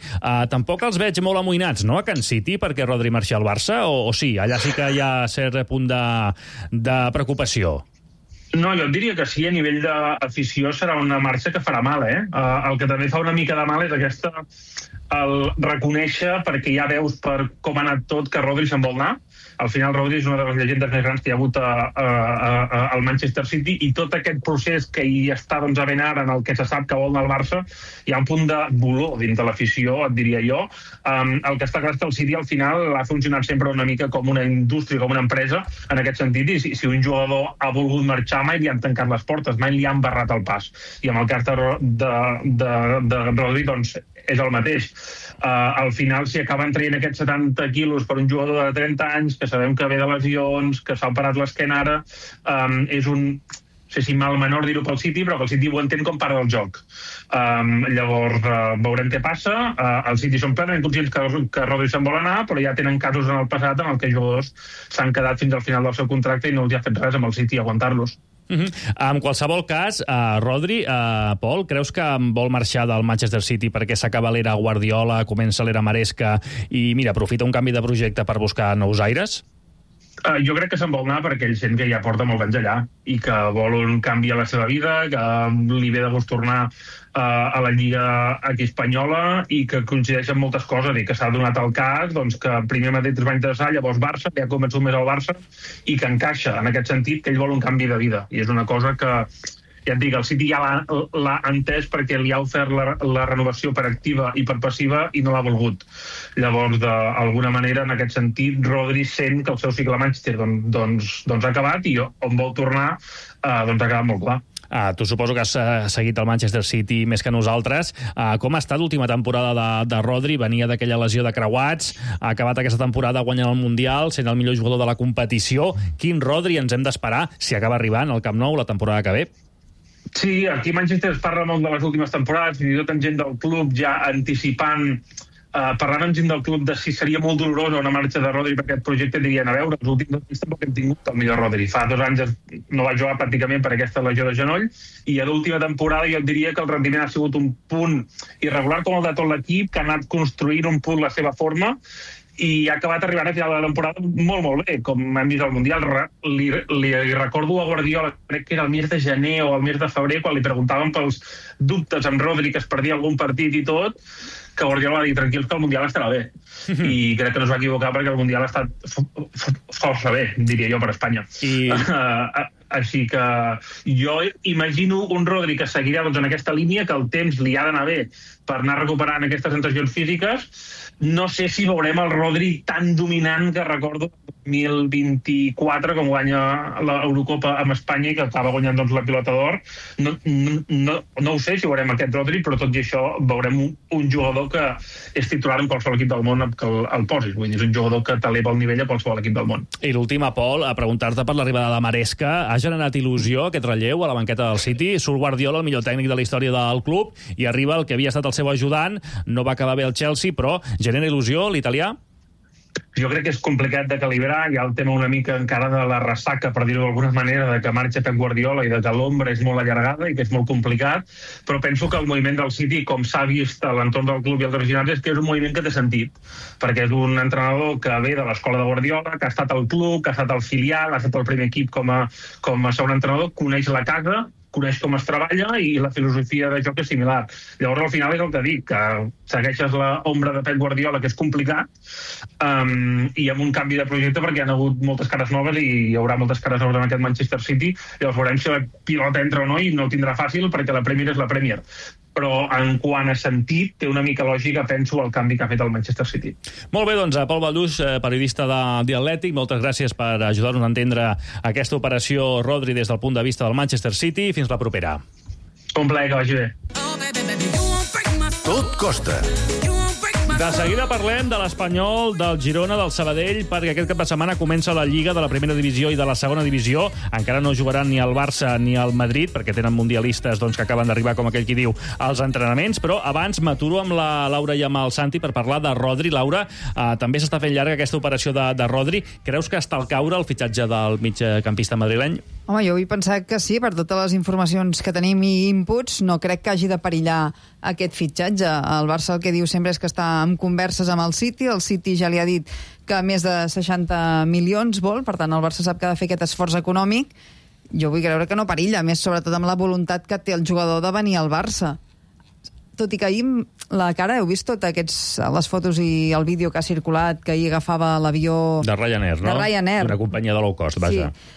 Tampoc els veig molt amoïnats, no?, a Can City, perquè Rodri marxi al Barça, o sí? Allà sí que hi ha cert punt de preocupació. No, jo et diria que sí, a nivell d'afició serà una marxa que farà mal, El que també fa una mica de mal és el reconèixer, perquè ja veus per com ha anat tot, que Rodri se'n vol anar. Al final, Rodri és una de les llegendes més grans que hi ha hagut al Manchester City, i tot aquest procés que hi està havent ara, en el que se sap que vol anar al Barça, hi ha un punt de dolor dins de l'afició, et diria jo. El que està clar és que el City al final ha funcionat sempre una mica com una indústria, com una empresa, en aquest sentit, i si un jugador ha volgut marxar, mai li han tancat les portes, mai li han barrat el pas. I amb el cas de Rodri, doncs, és el mateix. Al final, si acaben traient aquests 70 quilos per un jugador de 30 anys, que sabem que ve de lesions, que s'ha operat l'esquena ara, és un... no sé si mal menor dir-ho pel City, però que el City ho entén com part del joc. Llavors, veurem què passa. El City són plenament conscients que Rodri se'n vol anar, però ja tenen casos en el passat en què jugadors s'han quedat fins al final del seu contracte i no els ha fet res amb el City aguantar-los. En qualsevol cas, Rodri, Pol, creus que vol marxar del Manchester City perquè s'acaba l'era Guardiola, comença l'era Maresca i, mira, aprofita un canvi de projecte per buscar nous aires? Jo crec que se'n vol anar perquè ell sent que ja porta molts anys allà i que vol un canvi a la seva vida, que li ve de gust tornar a la Lliga aquí espanyola i que coincideix amb moltes coses i que s'ha donat el cas que primer Madrid es va interessar, llavors Barça, que ha convençut més al Barça i que encaixa en aquest sentit que ell vol un canvi de vida. I és una cosa que, ja et dic, el City ja l'ha entès perquè li ha ofert la renovació per activa i per passiva i no l'ha volgut. Llavors, d'alguna manera, en aquest sentit, Rodri sent que el seu cicle a Manchester ha acabat i on vol tornar ha quedat molt clar. Tu suposo que has seguit el Manchester City més que nosaltres. Com ha estat l'última temporada de Rodri? Venia d'aquella lesió de creuats, ha acabat aquesta temporada guanyant el Mundial, sent el millor jugador de la competició. Quin Rodri ens hem d'esperar si acaba arribant al Camp Nou la temporada que ve? Sí, aquí a Manchester es parla molt de les últimes temporades, fins i tot en gent del club ja anticipant, parlant amb gent del club de si seria molt dolorosa una marxa de Rodri per aquest projecte, dirien, a veure, els últims 2 anys tampoc hem tingut el millor Rodri. Fa 2 anys no va jugar pràcticament per aquesta lesió de genoll i a l'última temporada jo diria que el rendiment ha sigut un punt irregular com el de tot l'equip, que ha anat construint un punt la seva forma i ha acabat arribant a final de la temporada molt, molt bé, com hem vist al Mundial. Li recordo a Guardiola, crec que era el mes de gener o el mes de febrer, quan li preguntaven pels dubtes amb Rodri, que es perdia algun partit i tot, que Guardiola va dir, tranquils, que el Mundial estarà bé. I crec que no es va equivocar perquè el Mundial ha estat força bé, diria jo, per Espanya. Així que jo imagino un Rodri que seguirà en aquesta línia, que el temps li ha d'anar bé per anar recuperant aquestes sensacions físiques. No sé si veurem el Rodri tan dominant que recordo 2024, com guanya l'Eurocopa amb Espanya i que acaba guanyant la Pilota d'Or. No ho sé si veurem aquest Rodri, però tot i això veurem un jugador que és titular en qualsevol equip del món que el posis. Vull dir, és un jugador que t'eleva el nivell a qualsevol equip del món. I l'última, Pol, a preguntar-te per l'arribada de Maresca. Ha generat il·lusió aquest relleu a la banqueta del City? Surt Guardiola, el millor tècnic de la història del club, i arriba el que havia estat el seu ajudant. No va acabar bé el Chelsea, però genera il·lusió l'italià? Jo crec que és complicat de calibrar. Hi ha el tema una mica encara de la ressaca, per dir-ho d'alguna manera, de que marxa Pep Guardiola i de que l'ombra és molt allargada i que és molt complicat, però penso que el moviment del City, com s'ha vist a l'entorn del club i els aficionats, és que és un moviment que té sentit, perquè és un entrenador que ve de l'escola de Guardiola, que ha estat al club, que ha estat al filial, ha estat al primer equip com a segon entrenador, coneix la casa, coneix com es treballa i la filosofia de joc és similar. Llavors, al final és el que dic, que segueixes l'ombra de Pep Guardiola, que és complicat, i amb un canvi de projecte perquè hi ha hagut moltes cares noves i hi haurà moltes cares noves en aquest Manchester City. Llavors veurem si la pilota entra o no i no ho tindrà fàcil perquè la Premier és la Premier. Però en quant a sentit, té una mica lògica, penso, el canvi que ha fet el Manchester City. Molt bé, doncs, Pol Baldús, periodista de Atlètic, moltes gràcies per ajudar-nos a entendre aquesta operació Rodri des del punt de vista del Manchester City. Fins la propera. Un plaer, que vagi bé. Tot costa. De seguida parlem de l'Espanyol, del Girona, del Sabadell, perquè aquest cap de setmana comença la Lliga de la primera divisió i de la segona divisió. Encara no jugaran ni el Barça ni el Madrid, perquè tenen mundialistes que acaben d'arribar, com aquell qui diu, als entrenaments. Però abans m'aturo amb la Laura i amb el Santi per parlar de Rodri. Laura, també s'està fent llarga aquesta operació de Rodri. Creus que està al caure el fitxatge del migcampista madrileny? Home, jo vull pensar que sí, per totes les informacions que tenim i inputs, no crec que hagi de perillar aquest fitxatge. El Barça el que diu sempre és que està en converses amb el City ja li ha dit que més de 60 milions vol, per tant el Barça sap que ha de fer aquest esforç econòmic. Jo vull creure que no perilla, més sobretot amb la voluntat que té el jugador de venir al Barça. Tot i que ahir la cara, heu vist totes les fotos i el vídeo que ha circulat, que ahir agafava l'avió... De Ryanair, no? De Ryanair. Una companyia de low cost, vaja. Sí.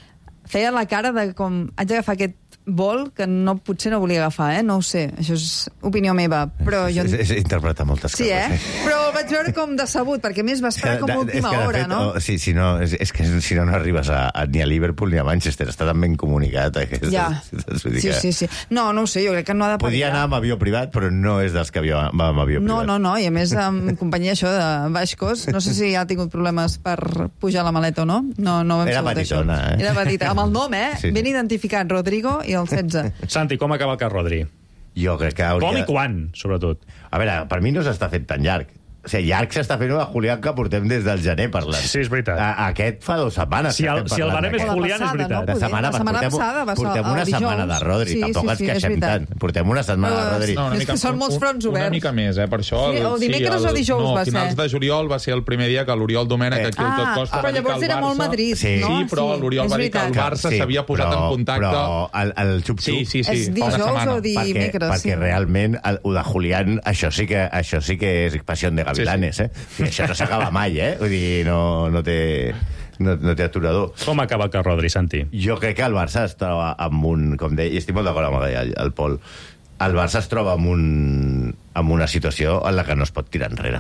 Feia la cara de com haig d'agafar aquest vol que potser no volia agafar, no ho sé, això és opinió meva, però jo... És interpretar moltes coses. Sí, Però el vaig veure com decebut, perquè a més va esperar com a última hora, no? Sí, si no arribes ni a Liverpool ni a Manchester, està tan ben comunicat. Ja, sí. No ho sé, jo crec que no ha de perillar. Podia anar amb avió privat, però no és dels que va amb avió privat. No, i a més amb companyia això de baix cost, no sé si ha tingut problemes per pujar la maleta o no. No vam Era petitona, Era petita, amb el nom, Sí. Ben identificat, Rodrigo i el 16. Santi, com acaba el cas Rodri? Jo crec que hauria... Com i quan, sobretot? A veure, per mi no s'està fent tan llarg. O sigui, llarg s'està fent a Julián, que portem des del gener parlant. Sí, és veritat. Aquest fa 2 setmanes. Si el barem és Julián, és veritat. La setmana passada va ser portem una setmana de Rodri. Tampoc ens queixem tant. Portem una setmana de Rodri. És que són molts fronts oberts. Una mica més, per això... O dimecres o dijous va ser. Finals de juliol va ser el primer dia que l'Oriol Domènech aquí al Tot Costa però llavors era molt Madrid, no? Sí, però l'Oriol va dir que el Barça s'havia posat en contacte... Però el xup-xup... Sí, és dijous o dimecres. Perquè realment el de Julián, això sí que és passió de gavilanes, Sí, això no s'acaba mai, Vull dir, no té aturador. Com acaba el cas Rodri, Santi? Jo crec que el Barça es troba amb un... Com deia, i estic molt d'acord amb el Pol. El Barça es troba amb una situació en la que no es pot tirar enrere.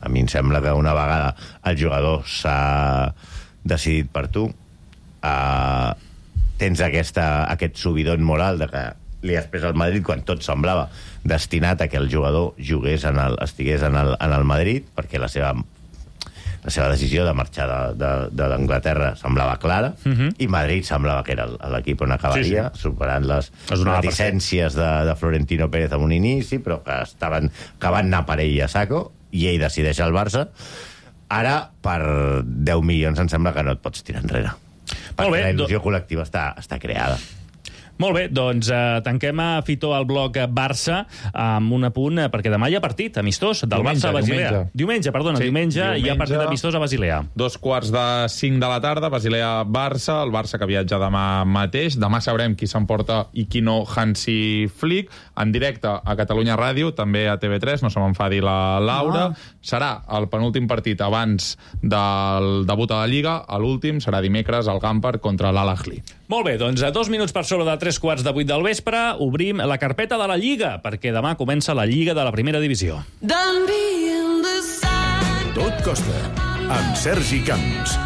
A mi em sembla que una vegada el jugador s'ha decidit per tu, tens aquest subidon moral de que li has pres al Madrid quan tot semblava destinat a que el jugador estigués en el Madrid, perquè la seva decisió de marxar de l'Anglaterra semblava clara, i Madrid semblava que era l'equip on acabaria, superant les reticències de Florentino Pérez en un inici, però que van anar per ell a saco, i ell decideix el Barça. Ara, per 10 milions, em sembla que no et pots tirar enrere. Perquè la il·lusió col·lectiva està creada. Molt bé, doncs tanquem a Fito al bloc Barça amb un apunt, perquè demà hi ha partit amistós del Barça a Basilea. Diumenge hi ha partit amistós a Basilea. 4:45 de la tarda, Basilea-Barça, el Barça que viatja demà mateix. Demà sabrem qui s'emporta i qui no Hansi Flick, en directe a Catalunya Ràdio, també a TV3, no se m'enfadi la Laura. Serà el penúltim partit abans del debut a la Lliga, l'últim serà dimecres al Gamper contra l'Al-Ahly. Molt bé, doncs a 2 minuts per sobre de 7:45 del vespre obrim la carpeta de la Lliga, perquè demà comença la Lliga de la primera divisió. Tot Costa, amb Sergi Camps.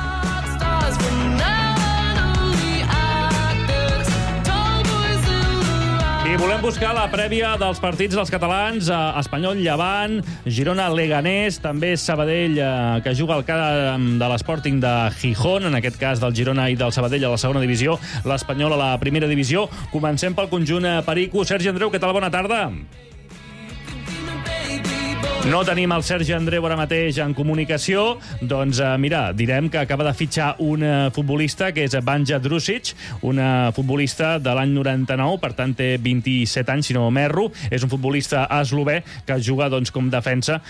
I volem buscar la prèvia dels partits dels catalans, Espanyol-Llevant, Girona-Leganés, també Sabadell, que juga al camp de l'Sporting de Gijón, en aquest cas del Girona i del Sabadell a la segona divisió, l'Espanyol a la primera divisió. Comencem pel conjunt perico. Sergi Andreu, què tal? Bona tarda. No tenim el Sergi Andreu ara mateix en comunicació, doncs mira, direm que acaba de fitxar un futbolista que és Banja Drusic, un futbolista de l'any 99, per tant té 27 anys, si no m'erro. És un futbolista eslové que juga doncs, com defensa,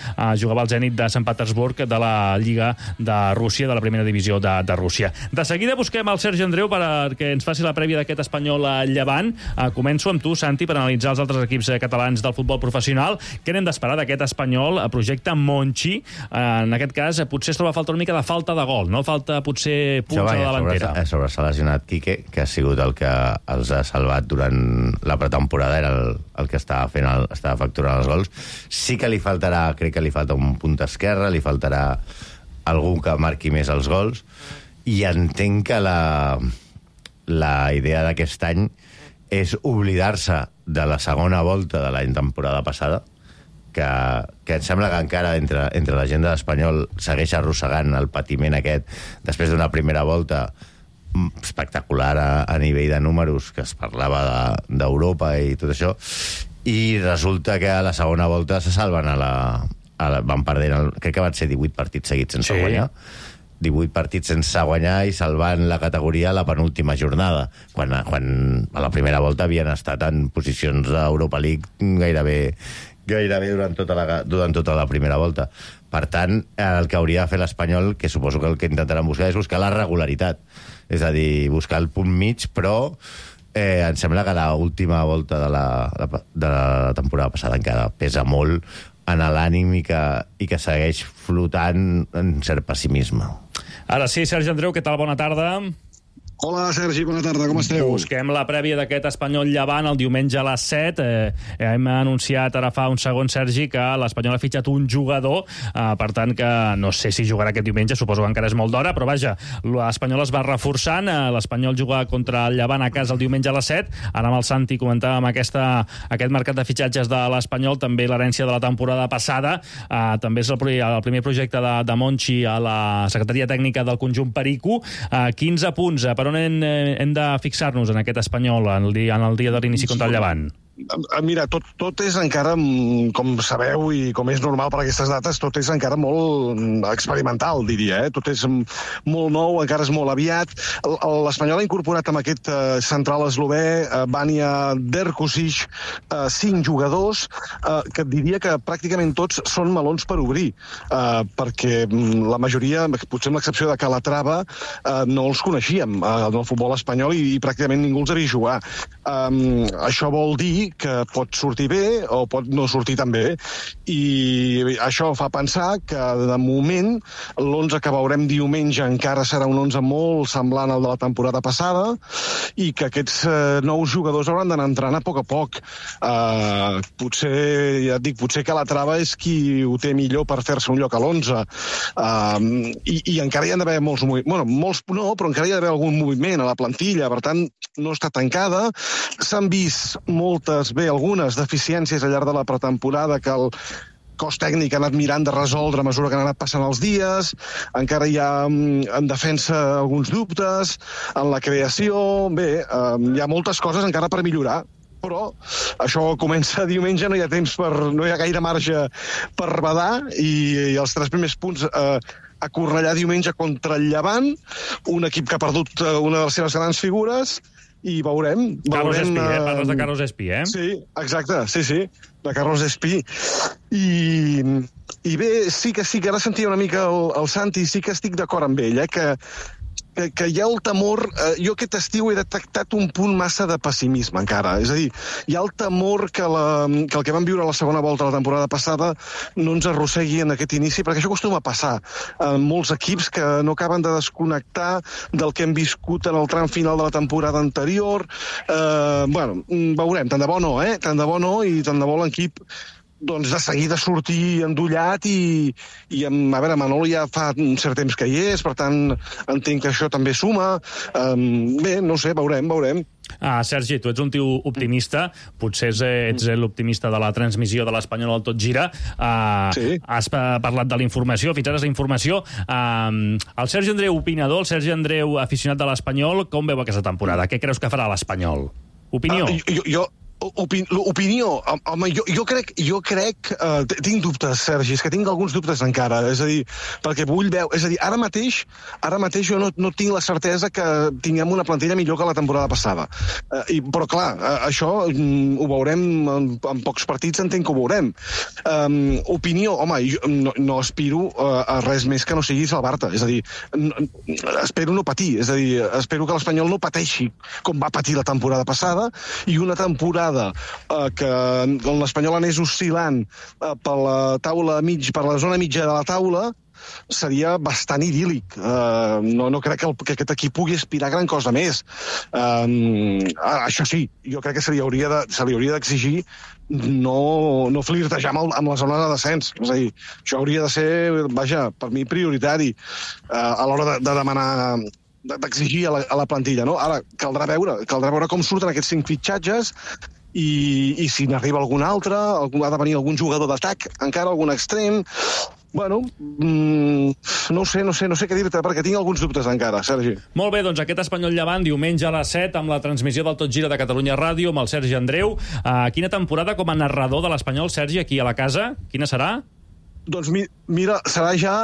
jugava al Zenit de Sant Petersburg de la Lliga de Rússia, de la primera divisió de Rússia. De seguida busquem el Sergi Andreu perquè ens faci la prèvia d'aquest Espanyol a Llevant. Començo amb tu, Santi, per analitzar els altres equips catalans del futbol professional. Què n'hem d'esperar d'aquest Espanyol a projecte Monchi? En aquest cas, potser es troba falta una mica de falta de gol, no? Falta potser punts a la davantera. S'ha lesionat Quique, que ha sigut el que els ha salvat durant la pretemporada, era el que estava facturant els gols. Sí que li faltarà, crec que li falta un punt esquerre, li faltarà algú que marqui més els gols, i entenc que la idea d'aquest any és oblidar-se de la segona volta de l'any temporada passada que em sembla que encara entre la gent de l'Espanyol segueix arrossegant el patiment aquest després d'una primera volta espectacular a nivell de números, que es parlava d'Europa i tot això, i resulta que a la segona volta se salven van perdent, crec que van ser 18 partits seguits sense guanyar, 18 partits sense guanyar i salvant la categoria a la penúltima jornada, quan a la primera volta havien estat en posicions d'Europa League gairebé durant tota la primera volta. Per tant, el que hauria de fer l'Espanyol, que suposo que el que intentaran buscar, és buscar la regularitat, és a dir, buscar el punt mig, però em sembla que l'última volta de la temporada passada encara pesa molt en l'ànim i que segueix flotant en cert pessimisme. Ara sí, Sergi Andreu, què tal? Bona tarda. Hola, Sergi, bona tarda, com esteu? Busquem la prèvia d'aquest Espanyol-Llevant el diumenge a les 7. Hem anunciat ara fa un segon, Sergi, que l'Espanyol ha fitxat un jugador, per tant que no sé si jugarà aquest diumenge, suposo que encara és molt d'hora, però vaja, l'Espanyol es va reforçant, l'Espanyol juga contra el Llevant a casa el diumenge a les 7. Ara amb el Santi comentàvem aquest mercat de fitxatges de l'Espanyol, també l'herència de la temporada passada, també és el primer projecte de Monchi a la secretaria tècnica del conjunt Perico. 15 punts, per on hem de fixar-nos en aquest Espanyol en el dia de l'inici contra el Llevant? Mira, tot és encara, com sabeu i com és normal per aquestes dates, tot és encara molt experimental, diria. Tot és molt nou, encara és molt aviat. L'Espanyol ha incorporat amb aquest central eslové, Vanja Drkušić, 5 jugadors, que diria que pràcticament tots són melons per obrir, perquè la majoria, potser amb l'excepció de Calatrava, no els coneixíem en el futbol espanyol i pràcticament ningú els havia jugat. Això vol dir que pot sortir bé o pot no sortir tan bé, i això fa pensar que de moment l'11 que veurem diumenge encara serà un 11 molt semblant al de la temporada passada i que aquests nous jugadors hauran d'anar entrant a poc. Potser, ja et dic, potser que la Trava és qui ho té millor per fer-se un lloc a l'11, i encara hi ha d'haver molts moviments, bueno, molts no, però encara hi ha d'haver algun moviment a la plantilla, per tant no està tancada. S'han vist algunes deficiències al llarg de la pretemporada que el cos tècnic ha anat mirant de resoldre a mesura que han anat passant els dies. Encara hi ha en defensa alguns dubtes, en la creació. Bé, hi ha moltes coses encara per millorar, però això comença diumenge, no hi ha gaire marge per badar, i els 3 primers punts a Cornellà diumenge contra el Llevant, un equip que ha perdut una de les seves grans figures, i veurem... Carlos Espí, parles de Carlos Espí, Sí, exacte, sí, de Carlos Espí. I bé, sí que ara sentia una mica el Santi, sí que estic d'acord amb ell, que hi ha el temor... Jo aquest estiu he detectat un punt massa de pessimisme encara, és a dir, hi ha el temor que el que vam viure a la segona volta de la temporada passada no ens arrossegui en aquest inici, perquè això acostuma a passar en molts equips que no acaben de desconnectar del que hem viscut en el tram final de la temporada anterior. Veurem, tant de bo no, i tant de bo l'equip de seguida sortir endollat i a veure, Manolo ja fa un cert temps que hi és, per tant entenc que això també suma. Bé, no sé, veurem. Sergi, tu ets un tio optimista, potser ets l'optimista de la transmissió de l'Espanyol al Tot Gira. Sí. Has parlat de la informació, fins ara és la informació. El Sergi Andreu opinador, el Sergi Andreu aficionat de l'Espanyol, com veu aquesta temporada? Què creus que farà l'Espanyol? Opinió? Opinió, home, jo crec, tinc dubtes, Sergi, és que tinc alguns dubtes encara, és a dir, perquè vull veure, és a dir, ara mateix jo no tinc la certesa que tinguem una plantilla millor que la temporada passada, però clar, això ho veurem en pocs partits, entenc que ho veurem. Opinió, home, jo no aspiro a res més que no sigui salvar-te, és a dir, espero no patir, és a dir, espero que l'Espanyol no pateixi com va patir la temporada passada, i una temporada que l'Espanyol anés oscil·lant per la zona mitja de la taula, seria bastant idíl·lic. No crec que aquest equip pugui aspirar a gran cosa més. Això sí, jo crec que se li hauria d'exigir no flirtejar amb la zona de descens. És a dir, això hauria de ser, per mi, prioritari a l'hora de demanar, d'exigir a la plantilla, no? Ara, caldrà veure com surten aquests 5 fitxatges, i si n'arriba algun altre, ha de venir algun jugador d'atac, encara algun extrem. Bueno, no sé què dir-te, perquè tinc alguns dubtes encara, Sergi. Molt bé, doncs aquest Espanyol Llevant, diumenge a les 7, amb la transmissió del Tot Gira de Catalunya Ràdio, amb el Sergi Andreu. Quina temporada com a narrador de l'Espanyol, Sergi, aquí a la casa? Quina serà? Doncs mira, serà ja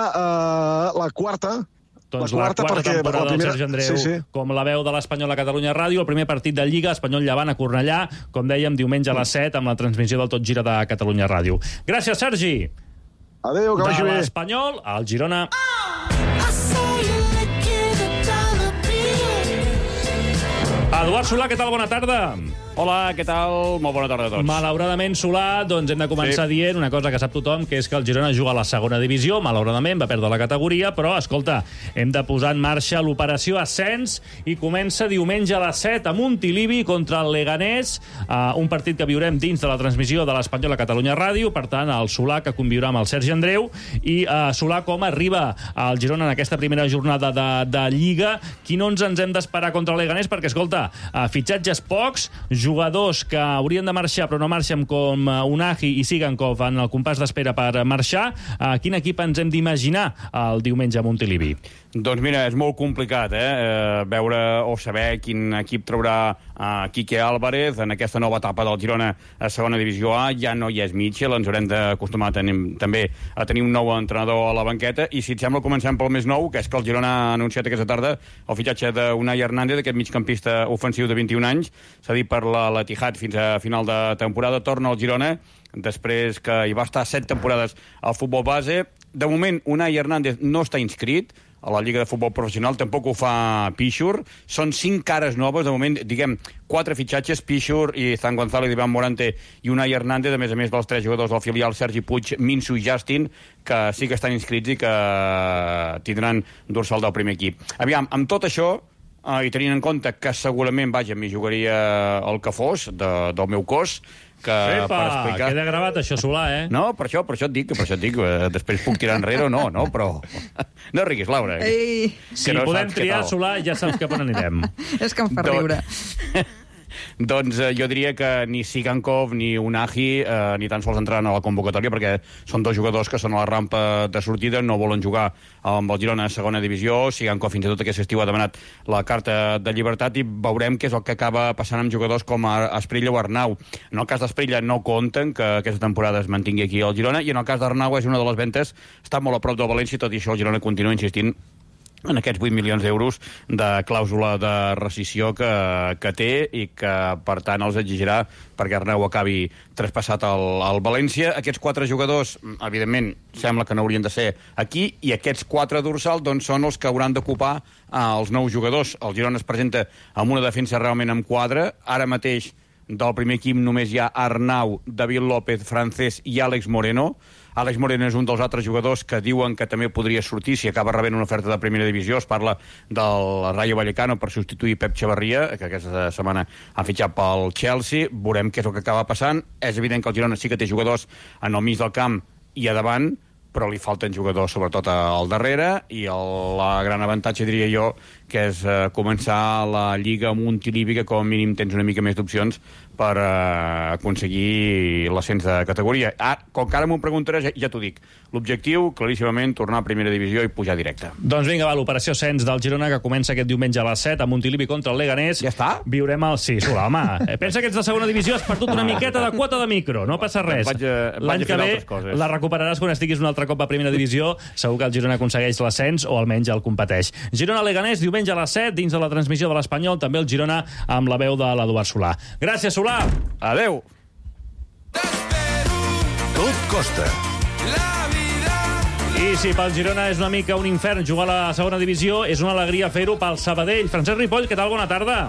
la quarta. Doncs la quarta temporada del Sergi Andreu, com la veu de l'Espanyol a Catalunya Ràdio, el primer partit de Lliga, Espanyol Llevant a Cornellà, com dèiem, diumenge a les 7, amb la transmissió del Tot Gira de Catalunya Ràdio. Gràcies, Sergi! Adéu, que vagi bé. De l'Espanyol al Girona. Eduard Solà, què tal? Bona tarda. Hola, què tal? Molt bona tarda a tots. Malauradament, Solà, doncs hem de començar dient una cosa que sap tothom, que és que el Girona juga a la segona divisió. Malauradament va perdre la categoria, però, escolta, hem de posar en marxa l'operació Ascens i comença diumenge a les 7 a Montilivi contra el Leganés, un partit que viurem dins de la transmissió de l'Espanyol a Catalunya Ràdio. Per tant, el Solà, que conviurà amb el Sergi Andreu, i Solà, com arriba al Girona en aquesta primera jornada de Lliga, quin 11 ens hem d'esperar contra el Leganés? Perquè, escolta, fitxatges pocs, jugadors que haurien de marxar però no marxen, com Unai i Sigankov en el compàs d'espera per marxar. Quin equip ens hem d'imaginar el diumenge a Montilivi? Doncs mira, és molt complicat veure o saber quin equip traurà Quique Álvarez en aquesta nova etapa del Girona a segona divisió A. Ja no hi és Mitchell, ens haurem d'acostumar també a tenir un nou entrenador a la banqueta. I si et sembla, comencem pel més nou, que és que el Girona ha anunciat aquesta tarda el fitxatge d'Unai Hernández, aquest migcampista ofensiu de 21 anys, s'ha dit per l'Etihad fins a final de temporada. Torna al Girona després que hi va estar 7 temporades al futbol base. De moment, Unai Hernández no està inscrit a la Lliga de Futbol Professional, tampoc ho fa Pichur. Són 5 cares noves, de moment, diguem, 4 fitxatges, Pichur i Zan González, Iván Morante i Unai Hernández, a més dels 3 jugadors del filial, Sergi Puig, Minsu i Justin, que sí que estan inscrits i que tindran dorsal del primer equip. Aviam, amb tot això, i tenint en compte que segurament, m'hi jugaria el que fos del meu cos, que per explicar... Queda gravat això, Solà, No, per això et dic, després puc tirar enrere o no, però... No riguis, Laura. Si podem triar, Solà, ja saps cap on anirem. És que em fa riure. Doncs jo diria que ni Sigankov ni Unai ni tan sols entraran a la convocatòria, perquè són 2 jugadors que són a la rampa de sortida, no volen jugar amb el Girona a segona divisió. Sigankov fins i tot aquest estiu ha demanat la carta de llibertat i veurem què és el que acaba passant amb jugadors com Asprilla o Arnau. En el cas d'Asprilla no compten que aquesta temporada es mantingui aquí al Girona, i en el cas d'Arnau és una de les ventes, està molt a prop del València, tot i això el Girona continua insistint en aquests 8 milions d'euros de clàusula de rescissió que té i que, per tant, els exigirà perquè Arnau acabi traspassat al València. Aquests 4 jugadors, evidentment, sembla que no haurien de ser aquí, i aquests 4 dorsals doncs, són els que hauran d'ocupar els nous jugadors. El Girona es presenta amb una defensa realment amb quadre. Ara mateix, del primer equip només hi ha Arnau, David López, Francés i Àlex Moreno. Àlex Moreno és un dels altres jugadors que diuen que també podria sortir si acaba rebent una oferta de primera divisió. Es parla del Rayo Vallecano per substituir Pep Chavarria, que aquesta setmana ha fitxat pel Chelsea. Veurem què és el que acaba passant. És evident que el Girona sí que té jugadors en el mig del camp i a davant, però li falten jugadors sobretot al darrere, i el gran avantatge, diria jo, que és començar la Lliga amb un Montilivi, que com a mínim tens una mica més d'opcions per aconseguir l'ascens de categoria. Com que ara m'ho preguntaràs, ja t'ho dic. L'objectiu, claríssimament, tornar a primera divisió i pujar directe. Doncs vinga, va, l'operació Ascens del Girona, que comença aquest diumenge a les 7 a Montilivi contra el Leganés. Ja està? Viurem el... Sí, Solà, home. Pensa que ets de segona divisió, has perdut una miqueta de quota de micro, no passa res. L'any que ve la recuperaràs quan estiguis un altre cop a primera divisió. Segur que el Girona aconsegueix l'ascens o almenys el competeix. Girona-Leganés, diumenge a les 7, dins de la transmissió de l'Espanyol, també el Girona amb la veu de l'Eduard Solà. Gràcies, Solà. Adéu. Tot costa. I si pel Girona és una mica un infern jugar a la segona divisió, és una alegria fer-ho pel Sabadell. Francesc Ripoll, què tal? Bona tarda.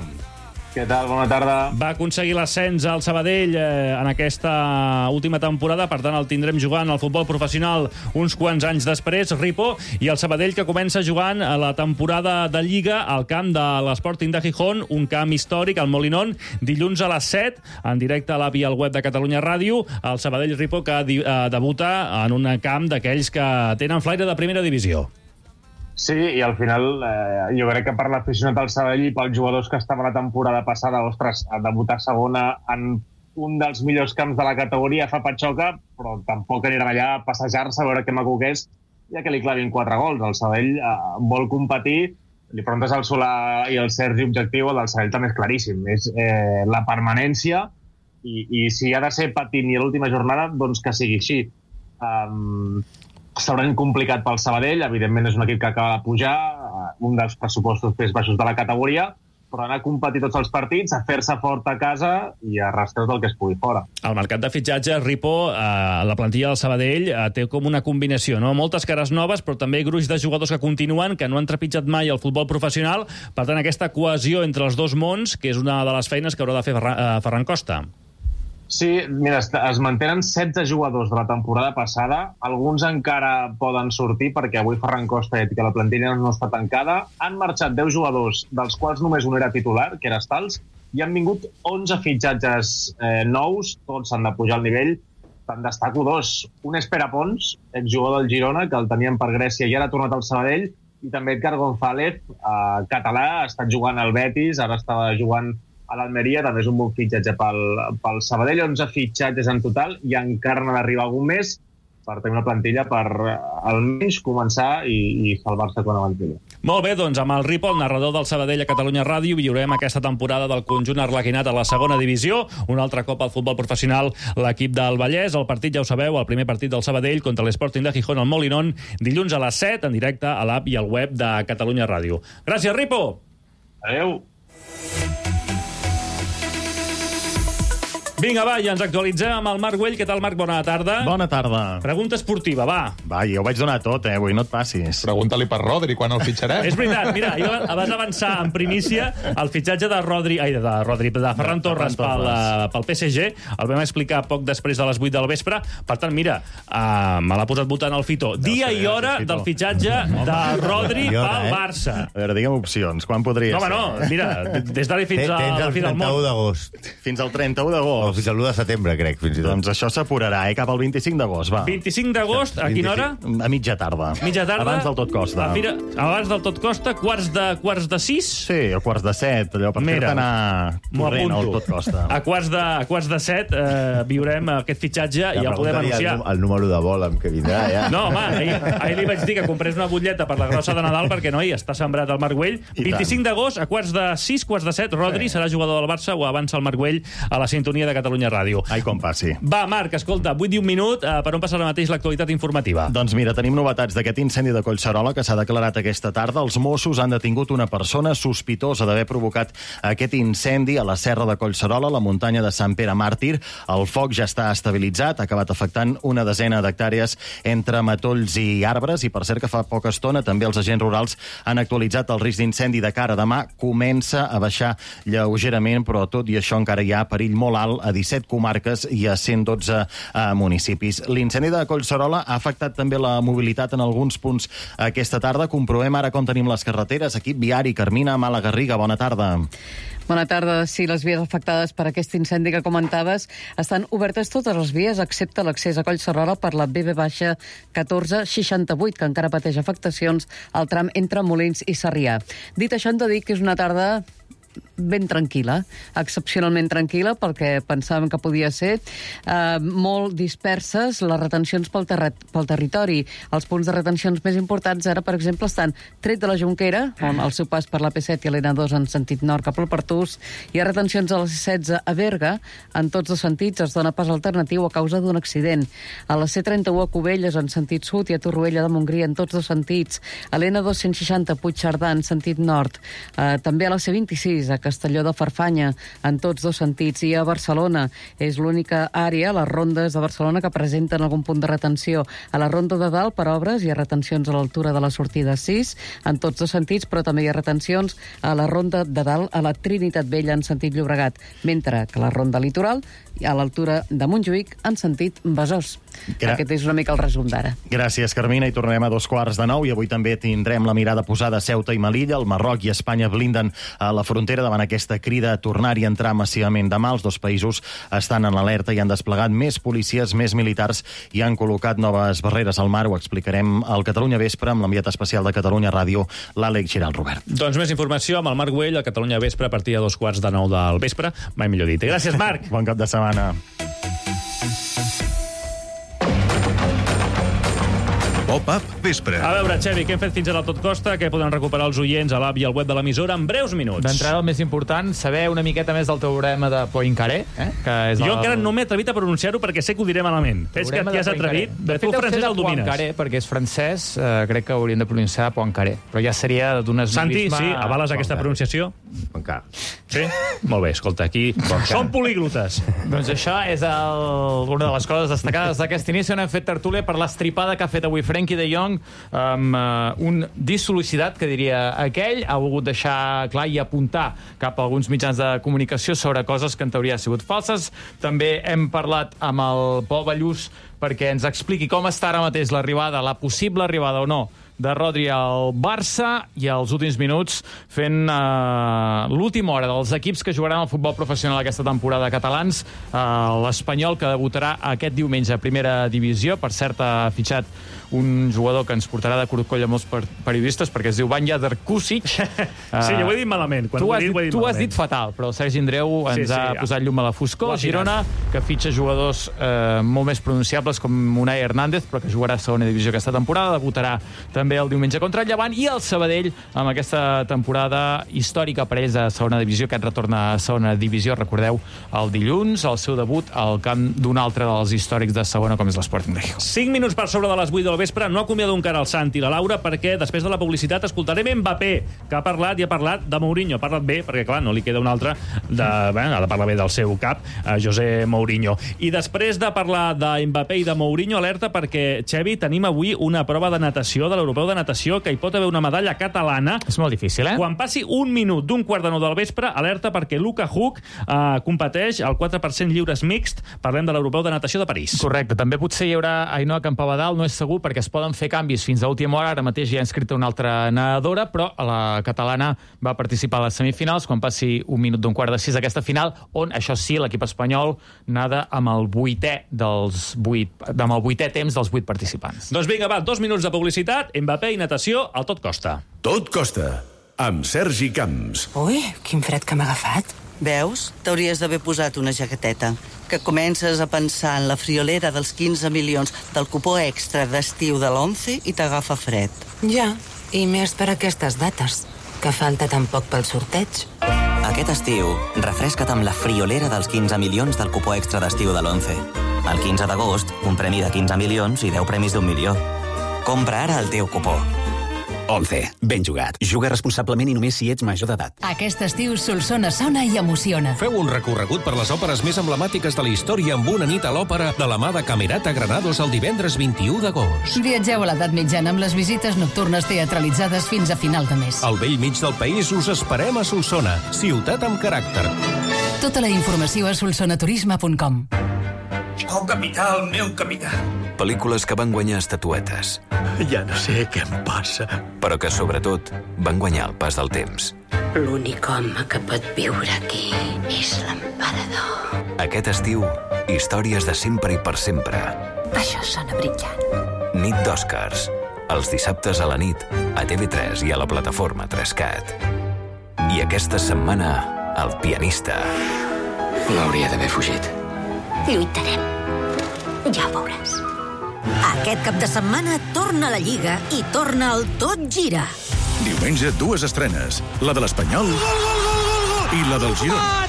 Què tal? Bona tarda. Va aconseguir l'ascens al Sabadell en aquesta última temporada, per tant el tindrem jugant al futbol professional uns quants anys després, Ripo, i el Sabadell que comença jugant a la temporada de Lliga al camp de l'Sporting de Gijón, un camp històric, al Molinón, dilluns a les 7, en directe a l'app i al web de Catalunya Ràdio, el Sabadell, Ripo, que debuta en un camp d'aquells que tenen flaire de primera divisió. Sí, i al final jo crec que per l'aficionat del Sabadell i pels jugadors que estaven la temporada passada, ostres, a debutar a segona en un dels millors camps de la categoria fa patxoca, però tampoc aniran allà a passejar-se a veure què maco que és, ja que li clavin 4 gols. El Sabadell vol competir, li preguntes al Solà i al Sergi objectiu, el del Sabadell també és claríssim, és la permanència, i si ha de ser patint i a l'última jornada, doncs que sigui així. S'hauran complicat pel Sabadell, evidentment és un equip que acaba de pujar, un dels pressupostos més baixos de la categoria, però anar a competir tots els partits, a fer-se fort a casa i a arrastrar tot el que es pugui fora. El mercat de fitxatges, Ripo, la plantilla del Sabadell té com una combinació, no? Moltes cares noves, però també gruix de jugadors que continuen, que no han trepitjat mai el futbol professional. Per tant, aquesta cohesió entre els dos mons, que és una de les feines que haurà de fer Ferran Costa. Sí, mira, es mantenen 16 jugadors de la temporada passada. Alguns encara poden sortir, perquè avui Ferran Costa ha dit que la plantilla no està tancada. Han marxat 10 jugadors, dels quals només un era titular, que era Stals, i han vingut 11 fitxatges nous, tots han de pujar al nivell. Te'n destaco 2. Un és Pere Pons, exjugador del Girona, que el tenien per Grècia i ara ha tornat al Sabadell, i també Edgar González, català, ha estat jugant al Betis, ara estava jugant a l'Almeria, també és un bon fitxatge pel Sabadell. 11 fitxatges en total, i encara n'ha d'arribar algun més per tenir una plantilla per almenys començar i salvar-se quan avanci. Molt bé, doncs amb el Ripo, el narrador del Sabadell a Catalunya Ràdio, viurem aquesta temporada del conjunt arlequinat a la segona divisió, un altre cop al futbol professional l'equip del Vallès. El partit, ja ho sabeu, el primer partit del Sabadell contra l'Sporting de Gijón al Molinón, dilluns a les 7, en directe a l'app i al web de Catalunya Ràdio. Gràcies, Ripo! Adéu! Vinga, va, i ens actualitzem amb el Marc Güell. Què tal, Marc? Bona tarda. Bona tarda. Pregunta esportiva, va. Va, jo ho vaig donar tot, avui no et passis. Pregunta-li per Rodri, quan el fitxarem. És veritat, mira, jo vas avançar en primícia el fitxatge de Ferran Torres pel PSG. El vam explicar poc després de les 8 del vespre. Per tant, mira, me l'ha posat votant el Fito. Dia i hora del fitxatge de Rodri pel Barça. A veure, digue'm opcions. Quan podria ser? Home, no, mira, des d'ara fins al fi del món. Fins al 31 d'agost. Fins al 31 d'agost. Fins al 1 de setembre, crec, fins i tot. Doncs això s'apurarà, cap al 25 d'agost, va. 25 d'agost, a quina hora? A mitja tarda. Mitja tarda? Abans del tot costa. Abans del tot costa, quarts de 6? Sí, o quarts de 7, allò per fer-te anar corrent al tot costa. A quarts de 7 viurem aquest fitxatge i ja el podem anunciar. El número de vol amb què vindrà, ja. No, home, ahir li vaig dir que comprés una butlleta per la grossa de Nadal, perquè, noi, està sembrat el Marc Güell. 25 d'agost, a quarts de 6, quarts de 7, Rodri serà jugador del Barça, o avança el Marc Güell a la sintonia de Catalunya Ràdio. Ai, com passi. Va, Marc, escolta, 8 i un minut, per on passa ara mateix l'actualitat informativa? Doncs mira, tenim novetats d'aquest incendi de Collserola que s'ha declarat aquesta tarda. Els Mossos han detingut una persona sospitosa d'haver provocat aquest incendi a la serra de Collserola, a la muntanya de Sant Pere Màrtir. El foc ja està estabilitzat, ha acabat afectant una desena d'hectàrees entre matolls i arbres, i per cert que fa poca estona també els agents rurals han actualitzat el risc d'incendi de cara a demà. Comença a baixar lleugerament, però tot i això encara hi ha perill molt alt a 17 comarques i a 112 municipis. L'incendi de Collserola ha afectat també la mobilitat en alguns punts aquesta tarda. Comprovem ara com tenim les carreteres. Equip viari, Carmina Malagarriga, bona tarda. Bona tarda. Sí, les vies afectades per aquest incendi que comentaves estan obertes totes les vies, excepte l'accés a Collserola per la BB-1468, que encara pateix afectacions al tram entre Molins i Sarrià. Dit això, hem de dir que és una tarda ben tranquil·la, excepcionalment tranquil·la, perquè pensàvem que podia ser molt disperses les retencions pel territori. Els punts de retencions més importants ara, per exemple, estan tret de la Jonquera, on al seu pas per la P7 i l'N2 en sentit nord cap al Pertús. Hi ha retencions a la C16 a Berga, en tots dos sentits. Es dona pas alternatiu a causa d'un accident. A la C31 a Cubelles, en sentit sud, i a Torroella de Montgrí, en tots dos sentits. A l'N2 160 a Puigcerdà, en sentit nord. També a la C26 a Castelló de Farfanya, en tots dos sentits, i a Barcelona. És l'única àrea, les rondes de Barcelona, que presenten algun punt de retenció. A la ronda de dalt, per obres, hi ha retencions a l'altura de la sortida 6, en tots dos sentits, però també hi ha retencions a la ronda de dalt, a la Trinitat Vella, en sentit Llobregat, mentre que la ronda litoral, a l'altura de Montjuïc, en sentit Besòs. Aquest és una mica el resum d'ara. Gràcies, Carmina, i tornem a 2:15, i avui també tindrem la mirada posada a Ceuta i Melilla. El Marroc i Espanya blinden a la frontera de davant aquesta crida a tornar-hi a entrar massivament demà. Els dos països estan en alerta i han desplegat més policies, més militars i han col·locat noves barreres al mar. Ho explicarem al Catalunya Vespre amb l'enviat especial de Catalunya Ràdio, l'Àlex Giral Robert. Doncs més informació amb el Marc Güell a Catalunya Vespre a partir de 2:45 del vespre. Mai millor dit. Gràcies, Marc. Bon cap de setmana. Pop-up Vespre. A veure, Xevi, què hem fet fins ara al Tot Costa? Què poden recuperar els oients a l'app i al web de l'emissora en breus minuts? D'entrada, el més important, saber una miqueta més del teorema de Poincaré. Que és jo encara no m'he atrevit a pronunciar-ho perquè sé que ho diré malament. Ves que t'hi has atrevit. Tu francès el domines. Poincaré, perquè és francès, crec que haurien de pronunciar Poincaré. Però ja seria d'un esmilisme... Santi, sí, avales aquesta pronunciació? Poincaré. Sí? Molt bé, escolta, aquí som políglotes. Doncs això és una de les coses destacades d'aquest inici, on hem fet tertúlia per l'estripada que ha fet avui Frenkie de Jong, amb un dissolicitat, que diria aquell. Ha volgut deixar clar i apuntar cap a alguns mitjans de comunicació sobre coses que en teoria han sigut falses. També hem parlat amb el Pol Ballús perquè ens expliqui com està ara mateix l'arribada, la possible arribada o no, de Rodri al Barça, i als últims minuts fent l'última hora dels equips que jugaran al futbol professional aquesta temporada catalans. L'Espanyol, que debutarà aquest diumenge a Primera Divisió. Per cert, ha fitxat un jugador que ens portarà de corcoll a molts periodistes, perquè es diu Vanja Drkusic. Sí, jo ho he dit malament. Tu ho has dit fatal, però Sergi Andreu ens ha posat llum a la foscor. Girona, que fitxa jugadors molt més pronunciables, com Unai Hernández, però que jugarà a Segona Divisió aquesta temporada, debutarà també el diumenge contra el Llevant, i el Sabadell, amb aquesta temporada històrica per ells a Segona Divisió, que retorna a Segona Divisió, recordeu, el dilluns, el seu debut al camp d'un altre dels històrics de Segona, com és l'Sporting de Gijón. 5 minuts per sobre de les 8 del vespre. No acomiado encara el Santi i la Laura, perquè després de la publicitat escoltarem Mbappé, que ha parlat de Mourinho. Ha parlat bé, perquè clar, no li queda un altre ha de parlar bé del seu cap, José Mourinho. I després de parlar de Mbappé i de Mourinho, alerta, perquè, Xevi, tenim avui una prova de natació, de l'Europeu de natació, que hi pot haver una medalla catalana. És molt difícil, Quan passi un minut d'un 8:45 del vespre, alerta, perquè Luka Huk competeix al 4% lliures mixt. Parlem de l'Europeu de natació de París. Correcte. També potser hi haurà Ainhoa Campabadal, no és segur, perquè es poden fer canvis fins a última hora. Ara mateix ja ha inscrita una altra nedadora, però la catalana va participar a les semifinals. Quan passi un minut d'un 5:45 d'aquesta final, on, això sí, l'equip espanyol nada amb el vuitè temps dels 8 participants. Doncs vinga, va, 2 minuts de publicitat, Mbappé i natació al Tot Costa. Tot Costa, amb Sergi Camps. Ui, quin fred que m'ha agafat. Veus? T'hauries d'haver posat una jaqueteta. Que comences a pensar en la friolera dels 15 milions del cupó extra d'estiu de l'11 i t'agafa fred. Ja, i més per aquestes dates, que falta tan poc pel sorteig. Aquest estiu, refresca't amb la friolera dels 15 milions del cupó extra d'estiu de l'11. El 15 d'agost, un premi de 15 milions i 10 premis d'1 milió. Compra ara el teu cupó. 11. Ben jugat. Juga responsablement i només si ets major d'edat. Aquest estiu Solsona sona i emociona. Feu un recorregut per les òperes més emblemàtiques de la història amb una nit a l'òpera de la mà de Camerata Granados el divendres 21 d'agost. Viatgeu a l'edat mitjana amb les visites nocturnes teatralitzades fins a final de mes. Al vell mig del país us esperem a Solsona, ciutat amb caràcter. Tota la informació a solsonaturisme.com. Oh, capità, el meu capità. Pel·lícules que van guanyar estatuetes. Ja no sé què em passa. Però que, sobretot, van guanyar el pas del temps. L'únic home que pot viure aquí és l'emperador. Aquest estiu, històries de sempre i per sempre. Això sona brillant. Nit d'Oscars. Els dissabtes a la nit, a TV3 i a la plataforma 3Cat. I aquesta setmana, El pianista. No hauria d'haver fugit. Lluitarem. Ja ho veuràs. Aquest cap de setmana torna la Lliga i torna el Tot Gira. Diumenge, 2 estrenes. La de l'Espanyol i la del Girona.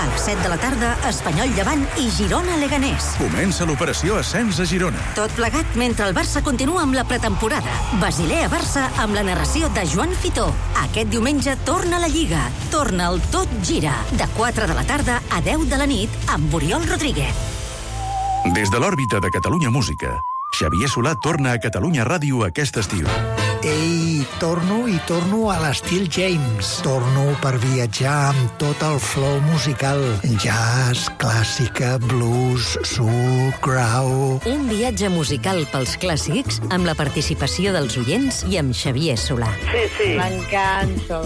A les 7 de la tarda, Espanyol Llevant i Girona Leganés. Comença l'operació Ascens a Girona. Tot plegat mentre el Barça continua amb la pretemporada. Basilea-Barça amb la narració de Joan Fitó. Aquest diumenge torna la Lliga. Torna el Tot Gira. De 4 de la tarda a 10 de la nit amb Oriol Rodríguez. Des de l'òrbita de Catalunya Música, Xavier Solà torna a Catalunya Ràdio aquest estiu. Ei, torno a l'estil James. Torno per viatjar amb tot el flow musical. Jazz, clàssica, blues, soul, grau... Un viatge musical pels clàssics amb la participació dels oients i amb Xavier Solà. Sí. M'encanta.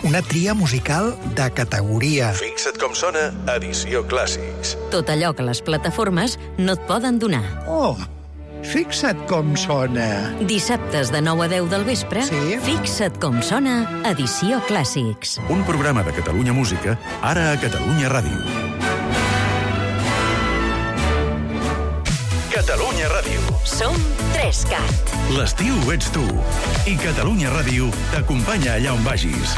Una tria musical de categoria. Fixa't com sona Edició Clàssics. Tot allò que les plataformes no et poden donar. Oh, fixa't com sona. Dissabtes de 9 a 10 del vespre, Sí? Fixa't com sona, Edició Clàssics. Un programa de Catalunya Música, ara a Catalunya Ràdio. Catalunya Ràdio. Som 3CAT. L'estiu ets tu. I Catalunya Ràdio t'acompanya allà on vagis.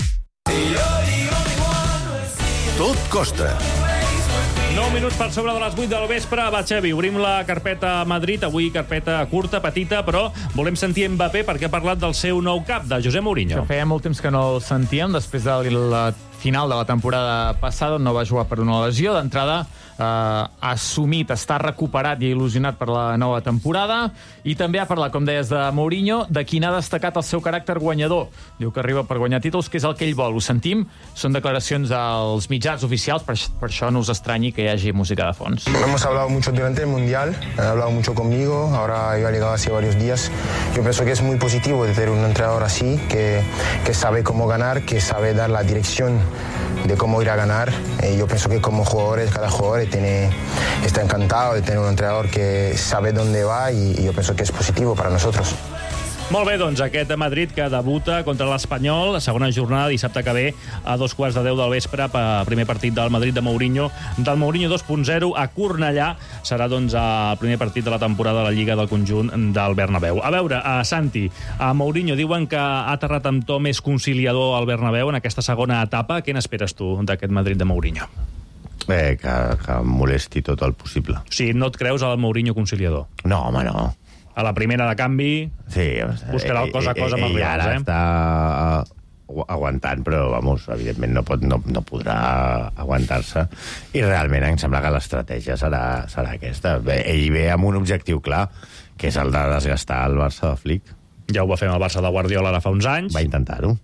Tot costa. 9 minuts per sobre de les 8 del vespre. Va, Xavi, obrim la carpeta Madrid. Avui carpeta curta, petita, però volem sentir Mbappé perquè ha parlat del seu nou cap, de José Mourinho. Que feia molt temps que no el sentíem, després de la final de la temporada passada, on no va jugar per una lesió. D'entrada, ha assumit, està recuperat i il·lusionat per la nova temporada, i també ha parlat, com deies, de Mourinho, de quin ha destacat el seu caràcter guanyador. Diu que arriba per guanyar títols, que és el que ell vol. Ho sentim, són declaracions als mitjans oficials, per això no us estranyi que hi hagi música de fons. Hemos hablado mucho durante el Mundial, han hablado mucho conmigo, ahora yo he llegado hace varios días. Yo pienso que es muy positivo de tener un entrenador así, que sabe cómo ganar, que sabe dar la dirección de cómo ir a ganar. Yo pienso que como jugadores, cada jugador está encantado de tener un entrenador que sabe dónde va y yo pienso que es positivo para nosotros. Molt bé, doncs, aquest Madrid que debuta contra l'Espanyol, la segona jornada, dissabte que ve, a 2:15 del vespre, primer partit del Madrid de Mourinho, del Mourinho 2.0 a Cornellà. Serà, doncs, el primer partit de la temporada de la Lliga del conjunt del Bernabéu. A veure, Santi, a Mourinho diuen que ha aterrat amb to més conciliador al Bernabéu en aquesta segona etapa. Què n'esperes tu d'aquest Madrid de Mourinho? Que molesti tot el possible. O sigui, no et creus al Mourinho conciliador? No, home, no. A la primera de canvi, buscarà el cosa a cosa amb els rivals, ara està aguantant, però, vamos, evidentment no podrà aguantar-se. I realment em sembla que l'estratègia serà aquesta. Ell ve amb un objectiu clar, que és el de desgastar el Barça de Flick. Ja ho va fer amb el Barça de Guardiola ara fa uns anys. Va intentar-ho.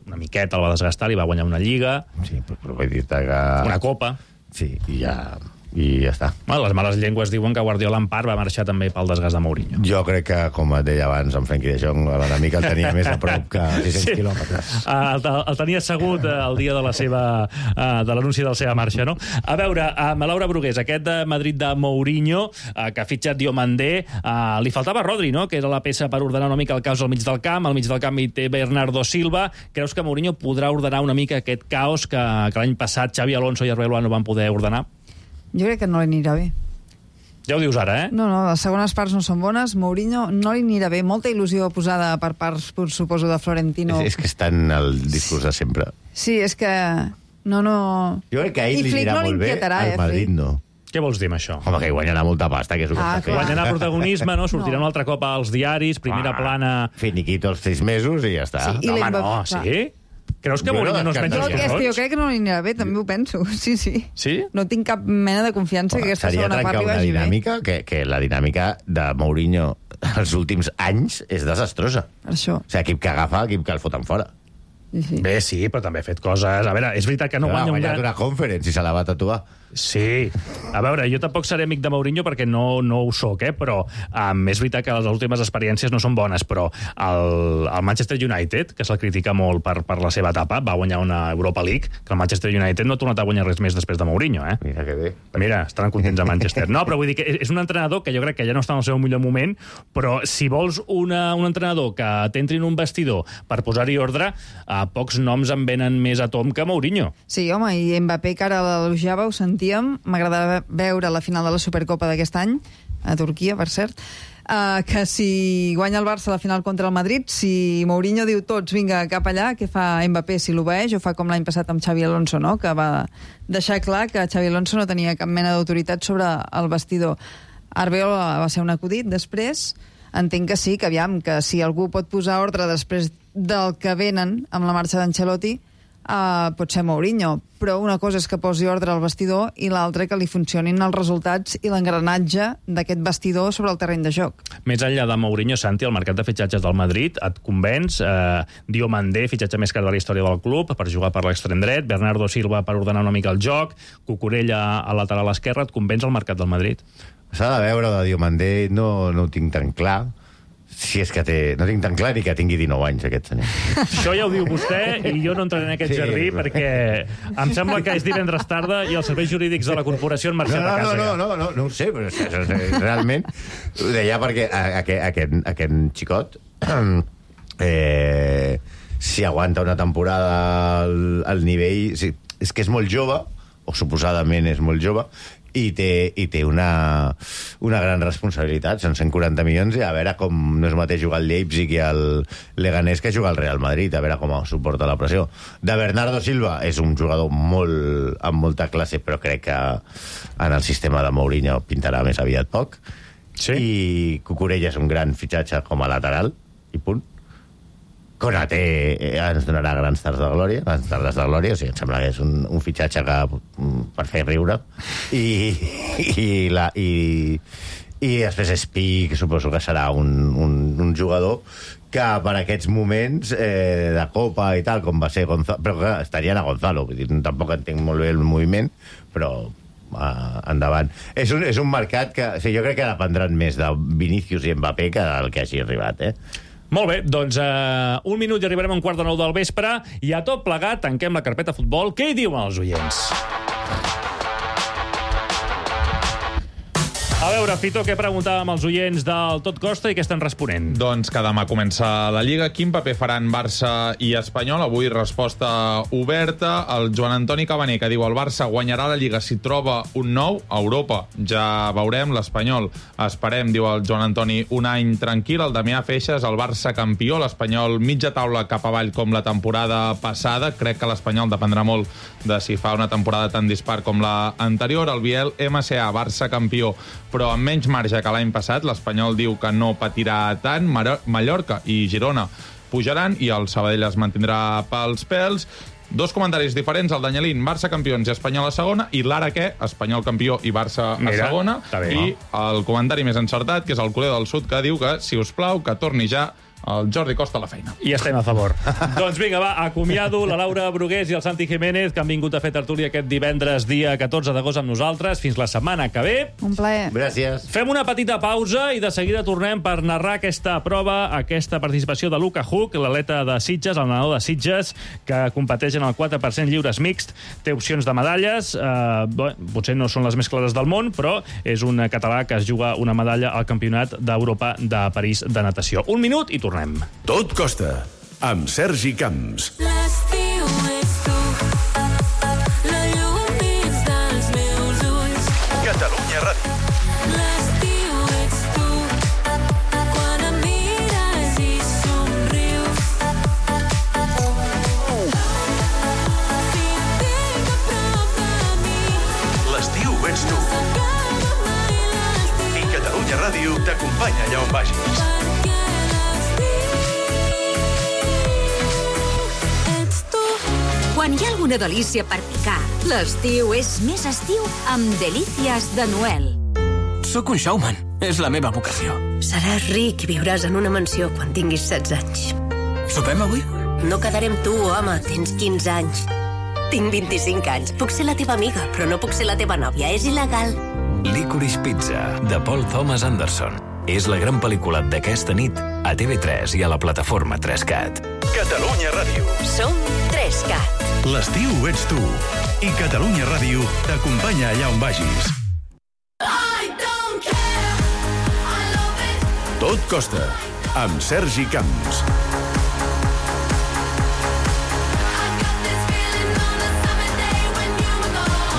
Una miqueta el va desgastar, li va guanyar una Lliga. Sí, però vull dir-te que... Una Copa. Sí, i ja està. Bueno, les males llengües diuen que Guardiola en part va marxar també pel desgast de Mourinho. Jo crec que, com et deia abans, en Frenkie de Jong, l'enemic el tenia més a prop que 600 quilòmetres. El tenia assegut el dia de l'anunci de la seva marxa, no? A veure, Laura Brugués, aquest de Madrid de Mourinho, que ha fitxat Diomandé, li faltava Rodri, no?, que era la peça per ordenar una mica el caos al mig del camp. Al mig del camp hi té Bernardo Silva. Creus que Mourinho podrà ordenar una mica aquest caos que l'any passat Xavi Alonso i Arbeloa no van poder ordenar? Jo crec que no li anirà bé. Ja ho dius ara, eh? No, les segones parts no són bones. Mourinho no li anirà bé. Molta il·lusió posada per part, suposo, de Florentino. És que està en el discurs de sempre. Sí, és que... No... Jo crec que a ell li anirà molt bé, al Madrid no. Què vols dir amb això? Home, que guanyarà molta pasta, que és el que està fent. Guanyarà protagonisme, no? Sortirà un altre cop als diaris, primera plana... Finiquito els 6 mesos i ja està. Sí, no, home, no, sí? Creus que Mourinho no es menja els garrots? Jo crec que no li anirà bé, també ho penso. Sí. Sí? No tinc cap mena de confiança que aquesta segona part li vagi bé. Que la dinàmica de Mourinho els últims anys és desastrosa. Això. O sigui, equip que agafa, equip que el foten fora. Sí. Bé, sí, però també ha fet coses... A veure, és veritat que no guanya un gran... Ha guanyat una conference i se la va tatuar. Sí. A veure, jo tampoc seré amic de Mourinho perquè no ho soc, però és veritat que les últimes experiències no són bones, però el Manchester United, que se'l critica molt per la seva etapa, va guanyar una Europa League, que el Manchester United no ha tornat a guanyar res més després de Mourinho, eh? Mira que bé. Mira, estaran contents a Manchester. No, però vull dir que és un entrenador que jo crec que ja no està en el seu millor moment, però si vols un entrenador que t'entri en un vestidor per posar-hi ordre, pocs noms en venen més a tom que Mourinho. Sí, home, i Mbappé, que ara l'elogiava, ho sentíem. M'agrada veure la final de la Supercopa d'aquest any, a Turquia, per cert, que si guanya el Barça la final contra el Madrid, si Mourinho diu tots, vinga, cap allà, què fa Mbappé? Si l'obeeix o fa com l'any passat amb Xavi Alonso, no?, que va deixar clar que Xavi Alonso no tenia cap mena d'autoritat sobre el vestidor. Arbeloa va ser un acudit, després entenc que sí, que aviam, que si algú pot posar ordre després del que venen amb la marxa d'Ancelotti, pot ser Mourinho, però una cosa és que posi ordre al vestidor i l'altra que li funcionin els resultats i l'engranatge d'aquest vestidor sobre el terreny de joc. Més enllà de Mourinho, Santi, el mercat de fitxatges del Madrid et convenç? Diomandé, fitxatge més car de la història del club, per jugar per l'extrem dret, Bernardo Silva per ordenar una mica el joc, Cucurella a lateral esquerra, et convenç el mercat del Madrid? S'ha de veure, de Diomandé no ho tinc tan clar. Si és que no tinc tan clar ni que tingui 19 anys, aquest senyor. Això ja ho diu vostè i jo no entraré en aquest jardí perquè em sembla que és divendres tarda i els serveis jurídics de la corporació han marxat a casa. No ho sé, però realment ho deia perquè aquest xicot si aguanta una temporada al nivell... És que és molt jove, o suposadament és molt jove, i té una gran responsabilitat. Són 140 milions i a veure com no és mateix jugar al Leipzig i al Leganés que jugar al Real Madrid, a veure com suporta la pressió. De Bernardo Silva és un jugador amb molta classe, però crec que en el sistema de Mourinho pintarà més aviat poc. Sí. I Cucurella és un gran fitxatge com a lateral, i punt. Konaté ens donarà grans tardes de glòria, o sigui, em sembla que és un fitxatge per fer riure. I després Espí, que suposo que serà un jugador que per aquests moments de Copa i tal, com va ser Gonzalo, però que estarien a Gonzalo, tampoc entenc molt bé el moviment, però endavant. És un mercat que jo crec que dependran més de Vinícius i Mbappé que del que hagi arribat, Molt bé, doncs un minut i arribarem a 8:45 del vespre i a tot plegat tanquem la carpeta futbol. Què hi diuen els oients? A veure, Fito, què preguntàvem als oients del Tot Costa i què estan responent? Doncs que demà comença la Lliga. Quin paper faran Barça i Espanyol? Avui resposta oberta. El Joan Antoni Cabaner, que diu el Barça guanyarà la Lliga si troba un nou a Europa. Ja veurem. L'Espanyol esperem, diu el Joan Antoni, un any tranquil. El Damià Feixes, el Barça campió. L'Espanyol mitja taula cap avall com la temporada passada. Crec que l'Espanyol dependrà molt de si fa una temporada tan dispar com la anterior. El Biel, MCA, Barça campió, però amb menys marge que l'any passat. L'Espanyol diu que no patirà tant. Mallorca i Girona pujaran i el Sabadell es mantindrà pels pèls. Dos comentaris diferents, el d'Anyelín, Barça campions i Espanyol a segona, i l'ara què? Espanyol campió i Barça a segona. I el comentari més encertat, que és el Culer del Sud, que diu que, si us plau, que torni ja el Jordi Costa a la feina. I estem a favor. Doncs vinga, va, acomiado la Laura Brugués i el Santi Jiménez, que han vingut a fer tertúlia aquest divendres, dia 14 d'agost, amb nosaltres. Fins la setmana que ve. Un plaer. Gràcies. Fem una petita pausa i de seguida tornem per narrar aquesta prova, aquesta participació de Luka Huk, l'atleta de Sitges, el nedador de Sitges, que competeix en el 4% lliures mixt. Té opcions de medalles, potser no són les més clares del món, però és un català que es juga una medalla al Campionat d'Europa de París de natació. Un minut i tornem. Tot Costa, amb Sergi Camps. L'estiu és tu, la llum dins dels meus ulls. Catalunya Ràdio. L'estiu ets tu, quan em mires i somrius. Si et tinc a prop de mi, L'estiu ets tu. I Catalunya Ràdio t'acompanya allà on vagis. Quan hi ha alguna delícia per picar, l'estiu és més estiu amb delícies de Noel. Sóc un showman. És la meva vocació. Seràs ric i viuràs en una mansió quan tinguis 16 anys. Sopem avui? No quedaré amb tu, home. Tens 15 anys. Tinc 25 anys. Puc ser la teva amiga, però no puc ser la teva nòvia. És il·legal. Licorice Pizza, de Paul Thomas Anderson. És la gran pel·lícula d'aquesta nit a TV3 i a la plataforma 3CAT. Catalunya Ràdio. Som 3CAT. L'estiu ets tu. I Catalunya Ràdio t'acompanya allà on vagis. Tot Costa, amb Sergi Camps.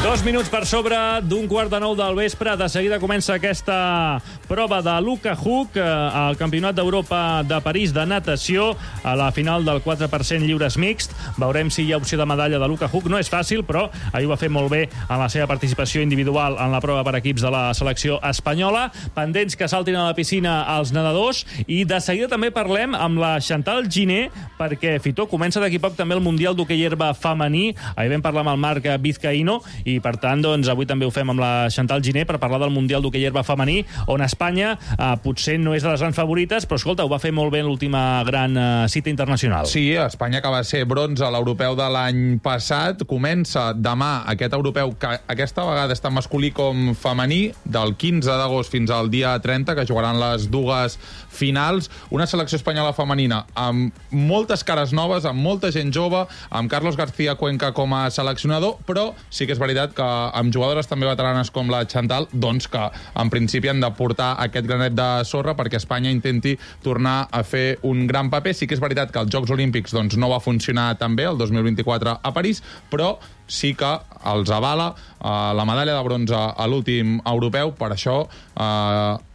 2 minuts per sobre d'un 8:45 del vespre. De seguida comença aquesta prova de Luka Huk al Campionat d'Europa de París de natació, a la final del 4% lliures mixt. Veurem si hi ha opció de medalla de Luka Huk. No és fàcil, però ahir ho va fer molt bé en la seva participació individual en la prova per equips de la selecció espanyola. Pendents que saltin a la piscina els nedadors. I de seguida també parlem amb la Chantal Giner, perquè, Fitó, comença d'aquí poc també el Mundial d'Hoquei Herba femení. Ahir vam parlar amb el Marc Vizcaíno i, per tant, doncs, avui també ho fem amb la Chantal Giner per parlar del Mundial d'Hoquei Herba femení, on Espanya potser no és de les grans favorites, però, escolta, ho va fer molt bé en l'última gran cita internacional. Sí, Espanya, que va ser bronze a l'europeu de l'any passat, comença demà aquest europeu, que aquesta vegada està masculí com femení, del 15 d'agost fins al dia 30, que jugaran les dues finals. Una selecció espanyola femenina amb moltes cares noves, amb molta gent jove, amb Carlos García Cuenca com a seleccionador, però sí que és veritat que amb jugadores també veteranes com la Chantal, doncs que en principi han de portar aquest granet de sorra perquè Espanya intenti tornar a fer un gran paper. Sí que és veritat que als Jocs Olímpics doncs, no va funcionar tan bé el 2024 a París, però sí que els avala la medalla de bronze a l'últim europeu. Per això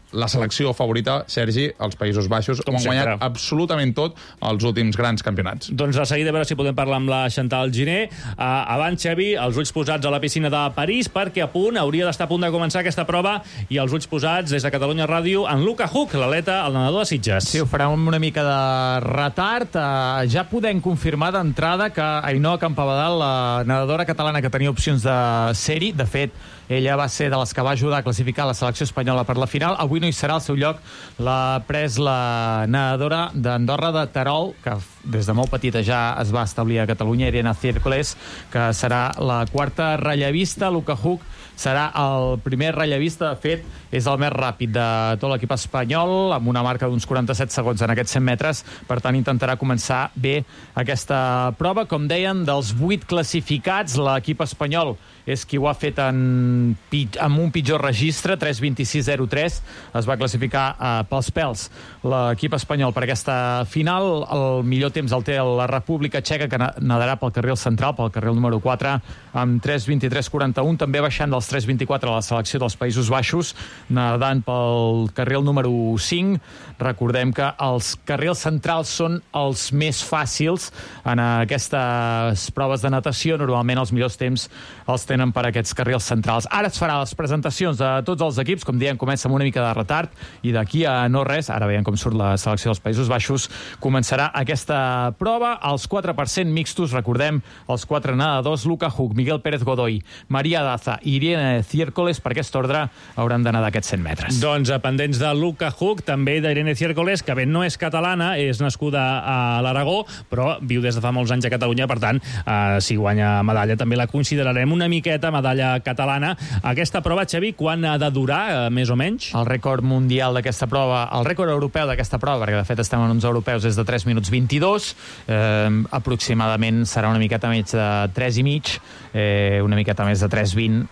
la selecció favorita, Sergi, els Països Baixos, ho han guanyat absolutament tot els últims grans campionats. Doncs de seguida a veure si podem parlar amb la Chantal Giner. Abans, Xavi, els ulls posats a la piscina de París, perquè hauria d'estar a punt de començar aquesta prova, i els ulls posats des de Catalunya Ràdio en Luka Huk, l'atleta, el nedador de Sitges. Sí, ho farà amb una mica de retard. Ja podem confirmar d'entrada que Ainhoa Campabadal, la nedadora catalana que tenia opcions de ser-hi, de fet, ella va ser de les que va ajudar a classificar la selecció espanyola per la final. Avui no hi serà, al seu lloc l'ha pres la nedadora d'Andorra de Terol, que des de molt petita ja es va establir a Catalunya, Irene Ciércoles, que serà la quarta rellevista. Luka Huk serà el primer rellevista. De fet, és el més ràpid de tot l'equip espanyol, amb una marca d'uns 47 segons en aquests 100 metres. Per tant, intentarà començar bé aquesta prova. Com deien, dels 8 classificats, l'equip espanyol és qui ho ha fet amb un pitjor registre, 3:26.03. Es va classificar pels pèls l'equip espanyol per aquesta final. El millor temps el té la República Txeca, que nadarà pel carril central, pel carril número 4, amb 3:23.41, també baixant dels 3:24 a la selecció dels Països Baixos, nadant pel carril número 5. Recordem que els carrils centrals són els més fàcils en aquestes proves de natació. Normalment els millors temps els tenen per aquests carrils centrals. Ara es farà les presentacions de tots els equips, com diem, comença amb una mica de retard, i d'aquí a no res, ara veiem com surt la selecció dels Països Baixos, començarà aquesta prova. Els 4% mixtos, recordem, els 4 nedadors, Luka Huk, Miguel Pérez Godoy, Maria Daza i Irene Ciércoles, per aquest ordre hauran d'anar d'aquests 100 metres. Doncs pendents de Luka Huk, també d'Irene Ciércoles, que bé, no és catalana, és nascuda a l'Aragó, però viu des de fa molts anys a Catalunya, per tant, si guanya medalla també la considerarem una miqueta medalla catalana. Aquesta prova, Xavi, quan ha de durar, més o menys? El rècord mundial d'aquesta prova, el rècord europeu d'aquesta prova, perquè de fet estem en uns europeus, és de 3 minuts 22, aproximadament serà una miqueta més de 3 i mig, una miqueta més de 3:20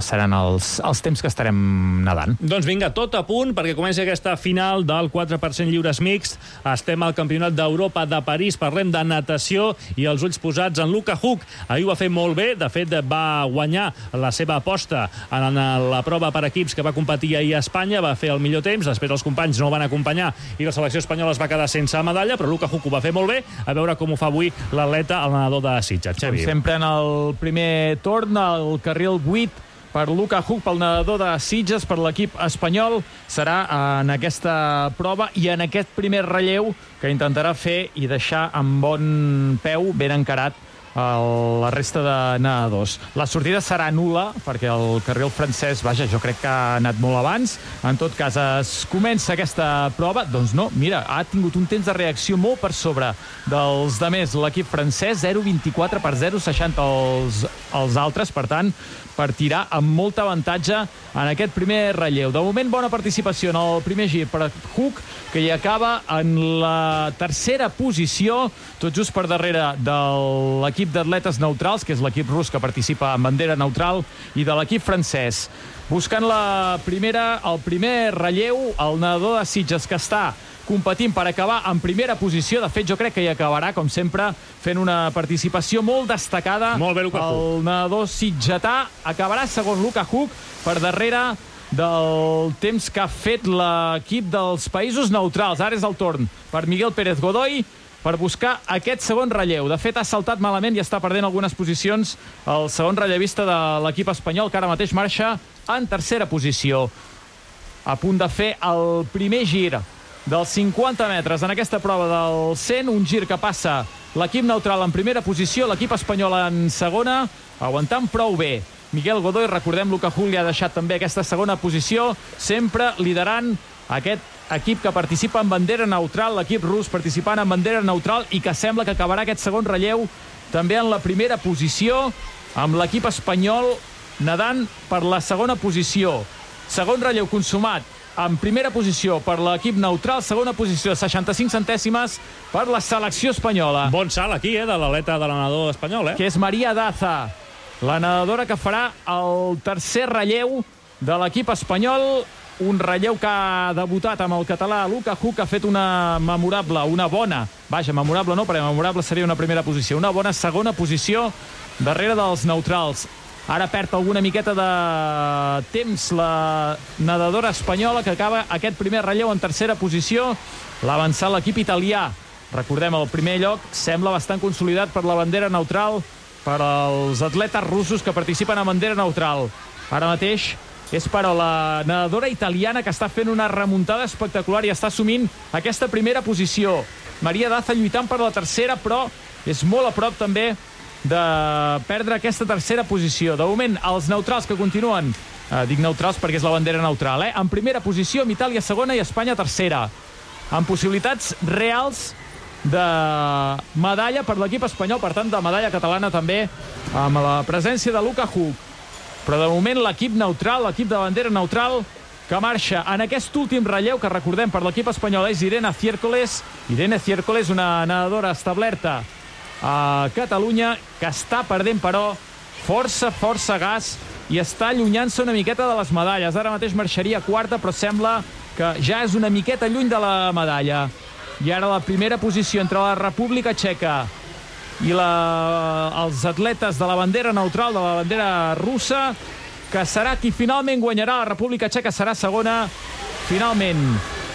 seran els temps que estarem nedant. Doncs vinga, tot a punt perquè comenci aquesta final del 4% lliures mixt. Estem al Campionat d'Europa de París, parlem de natació i els ulls posats en Luka Huk. Ahir ho va fer molt bé, de fet va guanyar la seva aposta en la prova per equips que va competir ahir a Espanya, va fer el millor temps, després els companys no el van acompanyar i la selecció espanyola es va quedar sense medalla, però Luka Huk ho va fer molt bé. A veure com ho fa avui l'atleta, el nedador de Sitges. Com sempre en el primer torn, el carril 8 per Luka Huk, pel nedador de Sitges, per l'equip espanyol, serà en aquesta prova i en aquest primer relleu que intentarà fer i deixar amb bon peu, ben encarat, la resta de nedadors. La sortida serà nul·la, perquè el carril francès, vaja, jo crec que ha anat molt abans. En tot cas, es comença aquesta prova. Doncs no, mira, ha tingut un temps de reacció molt per sobre dels demés. L'equip francès, 0,24 per 0,60 els altres, per tant, partirà amb molt avantatge en aquest primer relleu. De moment, bona participació en el primer gir per Huk, que hi acaba en la tercera posició, tot just per darrere de l'equip l'equip d'atletes neutrals, que és l'equip rus que participa en bandera neutral, i de l'equip francès. Buscant el primer relleu, el nedador de Sitges, que està competint per acabar en primera posició. De fet, jo crec que hi acabarà, com sempre, fent una participació molt destacada. Molt bé, Luka Huk. El nedador sitgetà acabarà segon Luka Huk, per darrere del temps que ha fet l'equip dels països neutrals. Ara és el torn per Miguel Pérez Godoy per buscar aquest segon relleu. De fet, ha saltat malament i està perdent algunes posicions el segon rellevista de l'equip espanyol, que ara mateix marxa en tercera posició. A punt de fer el primer gir dels 50 metres en aquesta prova del 100, un gir que passa l'equip neutral en primera posició, l'equip espanyol en segona, aguantant prou bé. Miguel Godoy, recordem, Luka Huk li ha deixat també aquesta segona posició, sempre liderant aquest equip que participa en bandera neutral, l'equip rus participant en bandera neutral i que sembla que acabarà aquest segon relleu també en la primera posició, amb l'equip espanyol nedant per la segona posició. Segon relleu consumat en primera posició per l'equip neutral, segona posició, 65 centèsimes per la selecció espanyola. Bon salt aquí, de l'aleta de la nedador espanyol, Que és Maria Daza, la nedadora que farà el tercer relleu de l'equip espanyol, un relleu que ha debutat amb el català Luka Huk, que ha fet una memorable, una bona, memorable no, perquè memorable seria una primera posició, una bona segona posició darrere dels neutrals. Ara perd alguna miqueta de temps la nedadora espanyola, que acaba aquest primer relleu en tercera posició. L'ha avançat l'equip italià. Recordem, el primer lloc sembla bastant consolidat per la bandera neutral, per als atletes russos que participen a bandera neutral. Ara mateix és per a la nedadora italiana, que està fent una remuntada espectacular i està assumint aquesta primera posició. Maria Daza lluitant per la tercera, però és molt a prop també de perdre aquesta tercera posició. De moment, els neutrals que continuen, dic neutrals perquè és la bandera neutral, en primera posició, amb Itàlia segona i Espanya tercera, amb possibilitats reals de medalla per l'equip espanyol, per tant, de medalla catalana també, amb la presència de Luka Huk. Però de moment l'equip neutral, l'equip de bandera neutral, que marxa en aquest últim relleu, que recordem per l'equip espanyol és Irene Ciércoles. Irene Ciércoles, una nedadora establerta a Catalunya, que està perdent, però, força gas i està allunyant-se una miqueta de les medalles. Ara mateix marxaria quarta, però sembla que ja és una miqueta lluny de la medalla. I ara la primera posició entre la República Txeca i els atletes de la bandera neutral, de la bandera russa, que serà qui finalment guanyarà. La República Txeca serà segona. Finalment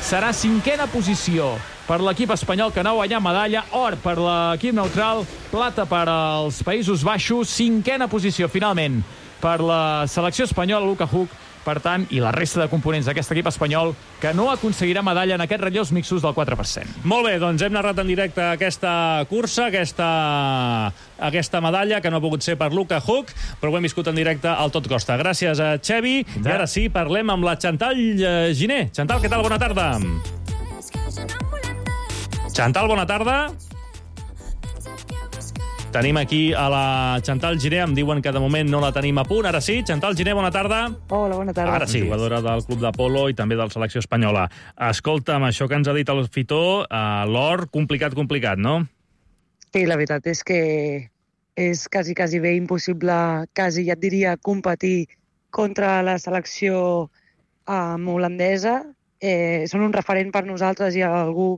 serà cinquena posició per l'equip espanyol, que no ha guanyat medalla. Or per l'equip neutral, plata per als Països Baixos, cinquena posició finalment per la selecció espanyola, Luka Huk, per tant, i la resta de components d'aquest equip espanyol, que no aconseguirà medalla en aquests relleus mixtos del 4%. Molt bé, doncs hem narrat en directe aquesta cursa, aquesta medalla, que no ha pogut ser per Luka Huk, però ho hem viscut en directe al Tot Costa. Gràcies a Xevi. I ara sí, parlem amb la Chantal Giner. Chantal, què tal? Bona tarda. Chantal, bona tarda. Tenim aquí a la Chantal Giner, em diuen que de moment no la tenim a punt. Ara sí, Chantal Giner, bona tarda. Hola, bona tarda. Ara sí, jugadora del Club de Polo i també de la selecció espanyola. Escolta'm, això que ens ha dit el Fitó, l'or, complicat, no? Sí, la veritat és que és quasi bé impossible, quasi ja et diria, competir contra la selecció holandesa. Són un referent per nosaltres i algú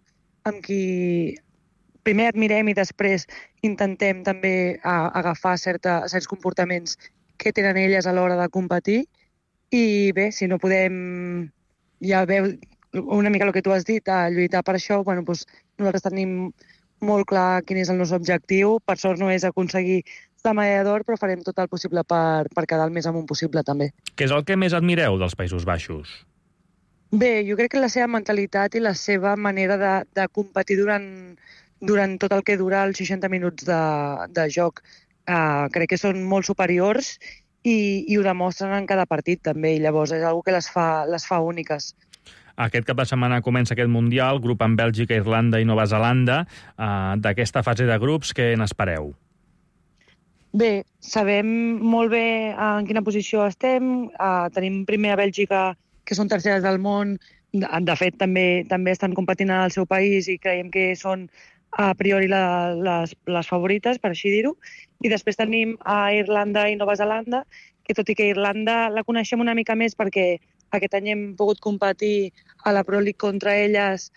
amb qui primer admirem i després intentem també agafar certs comportaments que tenen elles a l'hora de competir. I bé, si no podem, ja veu una mica el que tu has dit, lluitar per això, bueno, doncs nosaltres tenim molt clar quin és el nostre objectiu. Per sort no és aconseguir la medalla d'or, però farem tot el possible per quedar el més amunt possible també. Què és el que més admireu dels Països Baixos? Bé, jo crec que la seva mentalitat i la seva manera de competir durant tot el que dura els 60 minuts de joc. Crec que són molt superiors i ho demostren en cada partit també, i llavors és una cosa que les fa úniques. Aquest cap de setmana comença aquest Mundial, grup amb Bèlgica, Irlanda i Nova Zelanda. D'aquesta fase de grups, què n'espereu? Bé, sabem molt bé en quina posició estem. Tenim primer a Bèlgica, que són terceres del món. De fet, també estan competint en el seu país i creiem que són a priori les favorites, per així dir-ho. I després tenim a Irlanda i Nova Zelanda, que tot i que Irlanda la coneixem una mica més perquè aquest any hem pogut competir a la Pro League contra elles,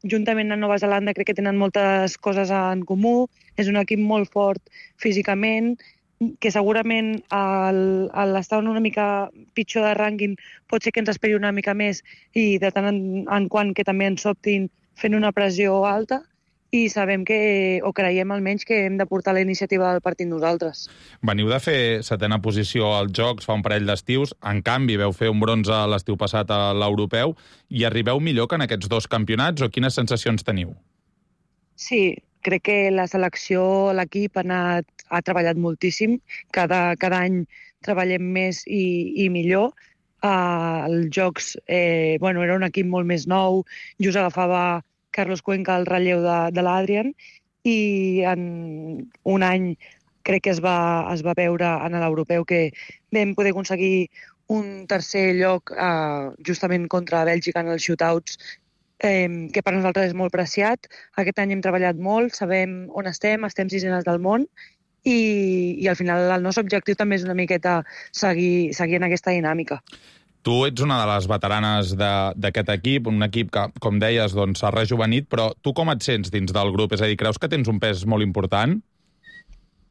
juntament amb Nova Zelanda crec que tenen moltes coses en comú, és un equip molt fort físicament, que segurament l'estar una mica pitjor de rànquing pot ser que ens esperi una mica més i de tant en quant que també ens sobtin fent una pressió alta, i sabem que, o creiem almenys, que hem de portar la iniciativa del partit nosaltres. Veniu de fer 7a posició als Jocs fa un parell d'estius, en canvi veu fer un bronze l'estiu passat a l'europeu, i arribeu millor que en aquests 2 campionats, o quines sensacions teniu? Sí, crec que la selecció, l'equip ha treballat moltíssim, cada any treballem més i millor. Els Jocs era un equip molt més nou, just agafava Carlos Cuenca al relleu de l'Adrian, i en un any crec que es va veure en l'europeu que vam poder aconseguir un tercer lloc justament contra Bèlgica en els shootouts, que per nosaltres és molt preciat. Aquest any hem treballat molt, sabem on estem 6enes del món, i al final el nostre objectiu també és una miqueta seguir en aquesta dinàmica. Tu ets una de les veteranes d'aquest equip, un equip que, com deies, s'ha rejuvenit, però tu com et sents dins del grup? És a dir, creus que tens un pes molt important?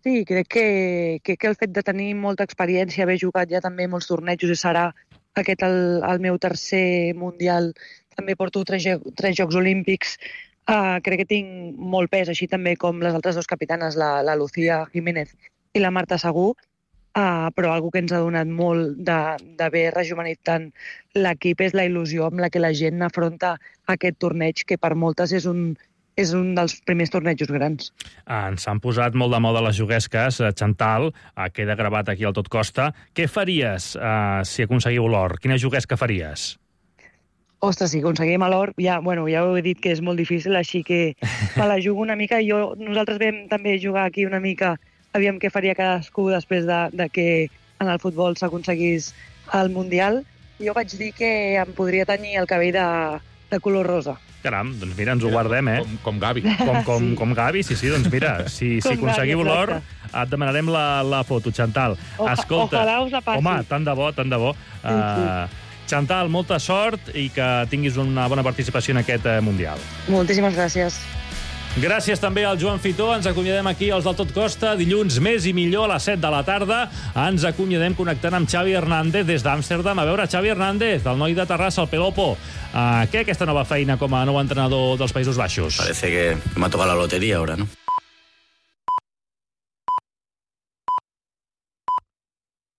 Sí, crec que el fet de tenir molta experiència, haver jugat ja també molts tornejos, i serà aquest el meu tercer mundial, també porto 3 Jocs Olímpics, crec que tinc molt pes, així també com les altres 2 capitanes, la Lucía Jiménez i la Marta Segú, però algo que ens ha donat molt d'haver rejuvenit tant l'equip és la il·lusió amb la que la gent afronta aquest torneig, que per moltes és un dels primers tornejos grans. Ens han posat molt de moda les juguesques. Chantal, queda gravat aquí al Tot Costa. Què faries si aconseguiu l'or? Quina juguesca faries? Ostres, si aconseguim l'or, ja ho he dit que és molt difícil, així que me la jugo una mica. Nosaltres vam també jugar aquí una mica, aviam què faria cadascú després de que en el futbol s'aconseguís el Mundial. Jo vaig dir que em podria tenyir el cabell de color rosa. Caram, doncs mira, ens ho guardem, Com Gavi. Com Gavi, sí, doncs mira, si aconseguiu l'or, et demanarem la foto, Chantal. Escolta, ojalà us la passi. Home, tant de bo. Chantal, molta sort i que tinguis una bona participació en aquest Mundial. Moltíssimes gràcies. Gràcies també al Joan Fitó. Ens acomiadem aquí als del Tot Costa. Dilluns més i millor a les 7 de la tarda. Ens acomiadem connectant amb Xavi Hernández des d'Amsterdam. A veure, Xavi Hernández, el noi de Terrassa, el Pelopo. Què aquesta nova feina com a nou entrenador dels Països Baixos? Parece que me ha tocado la lotería ahora, ¿no?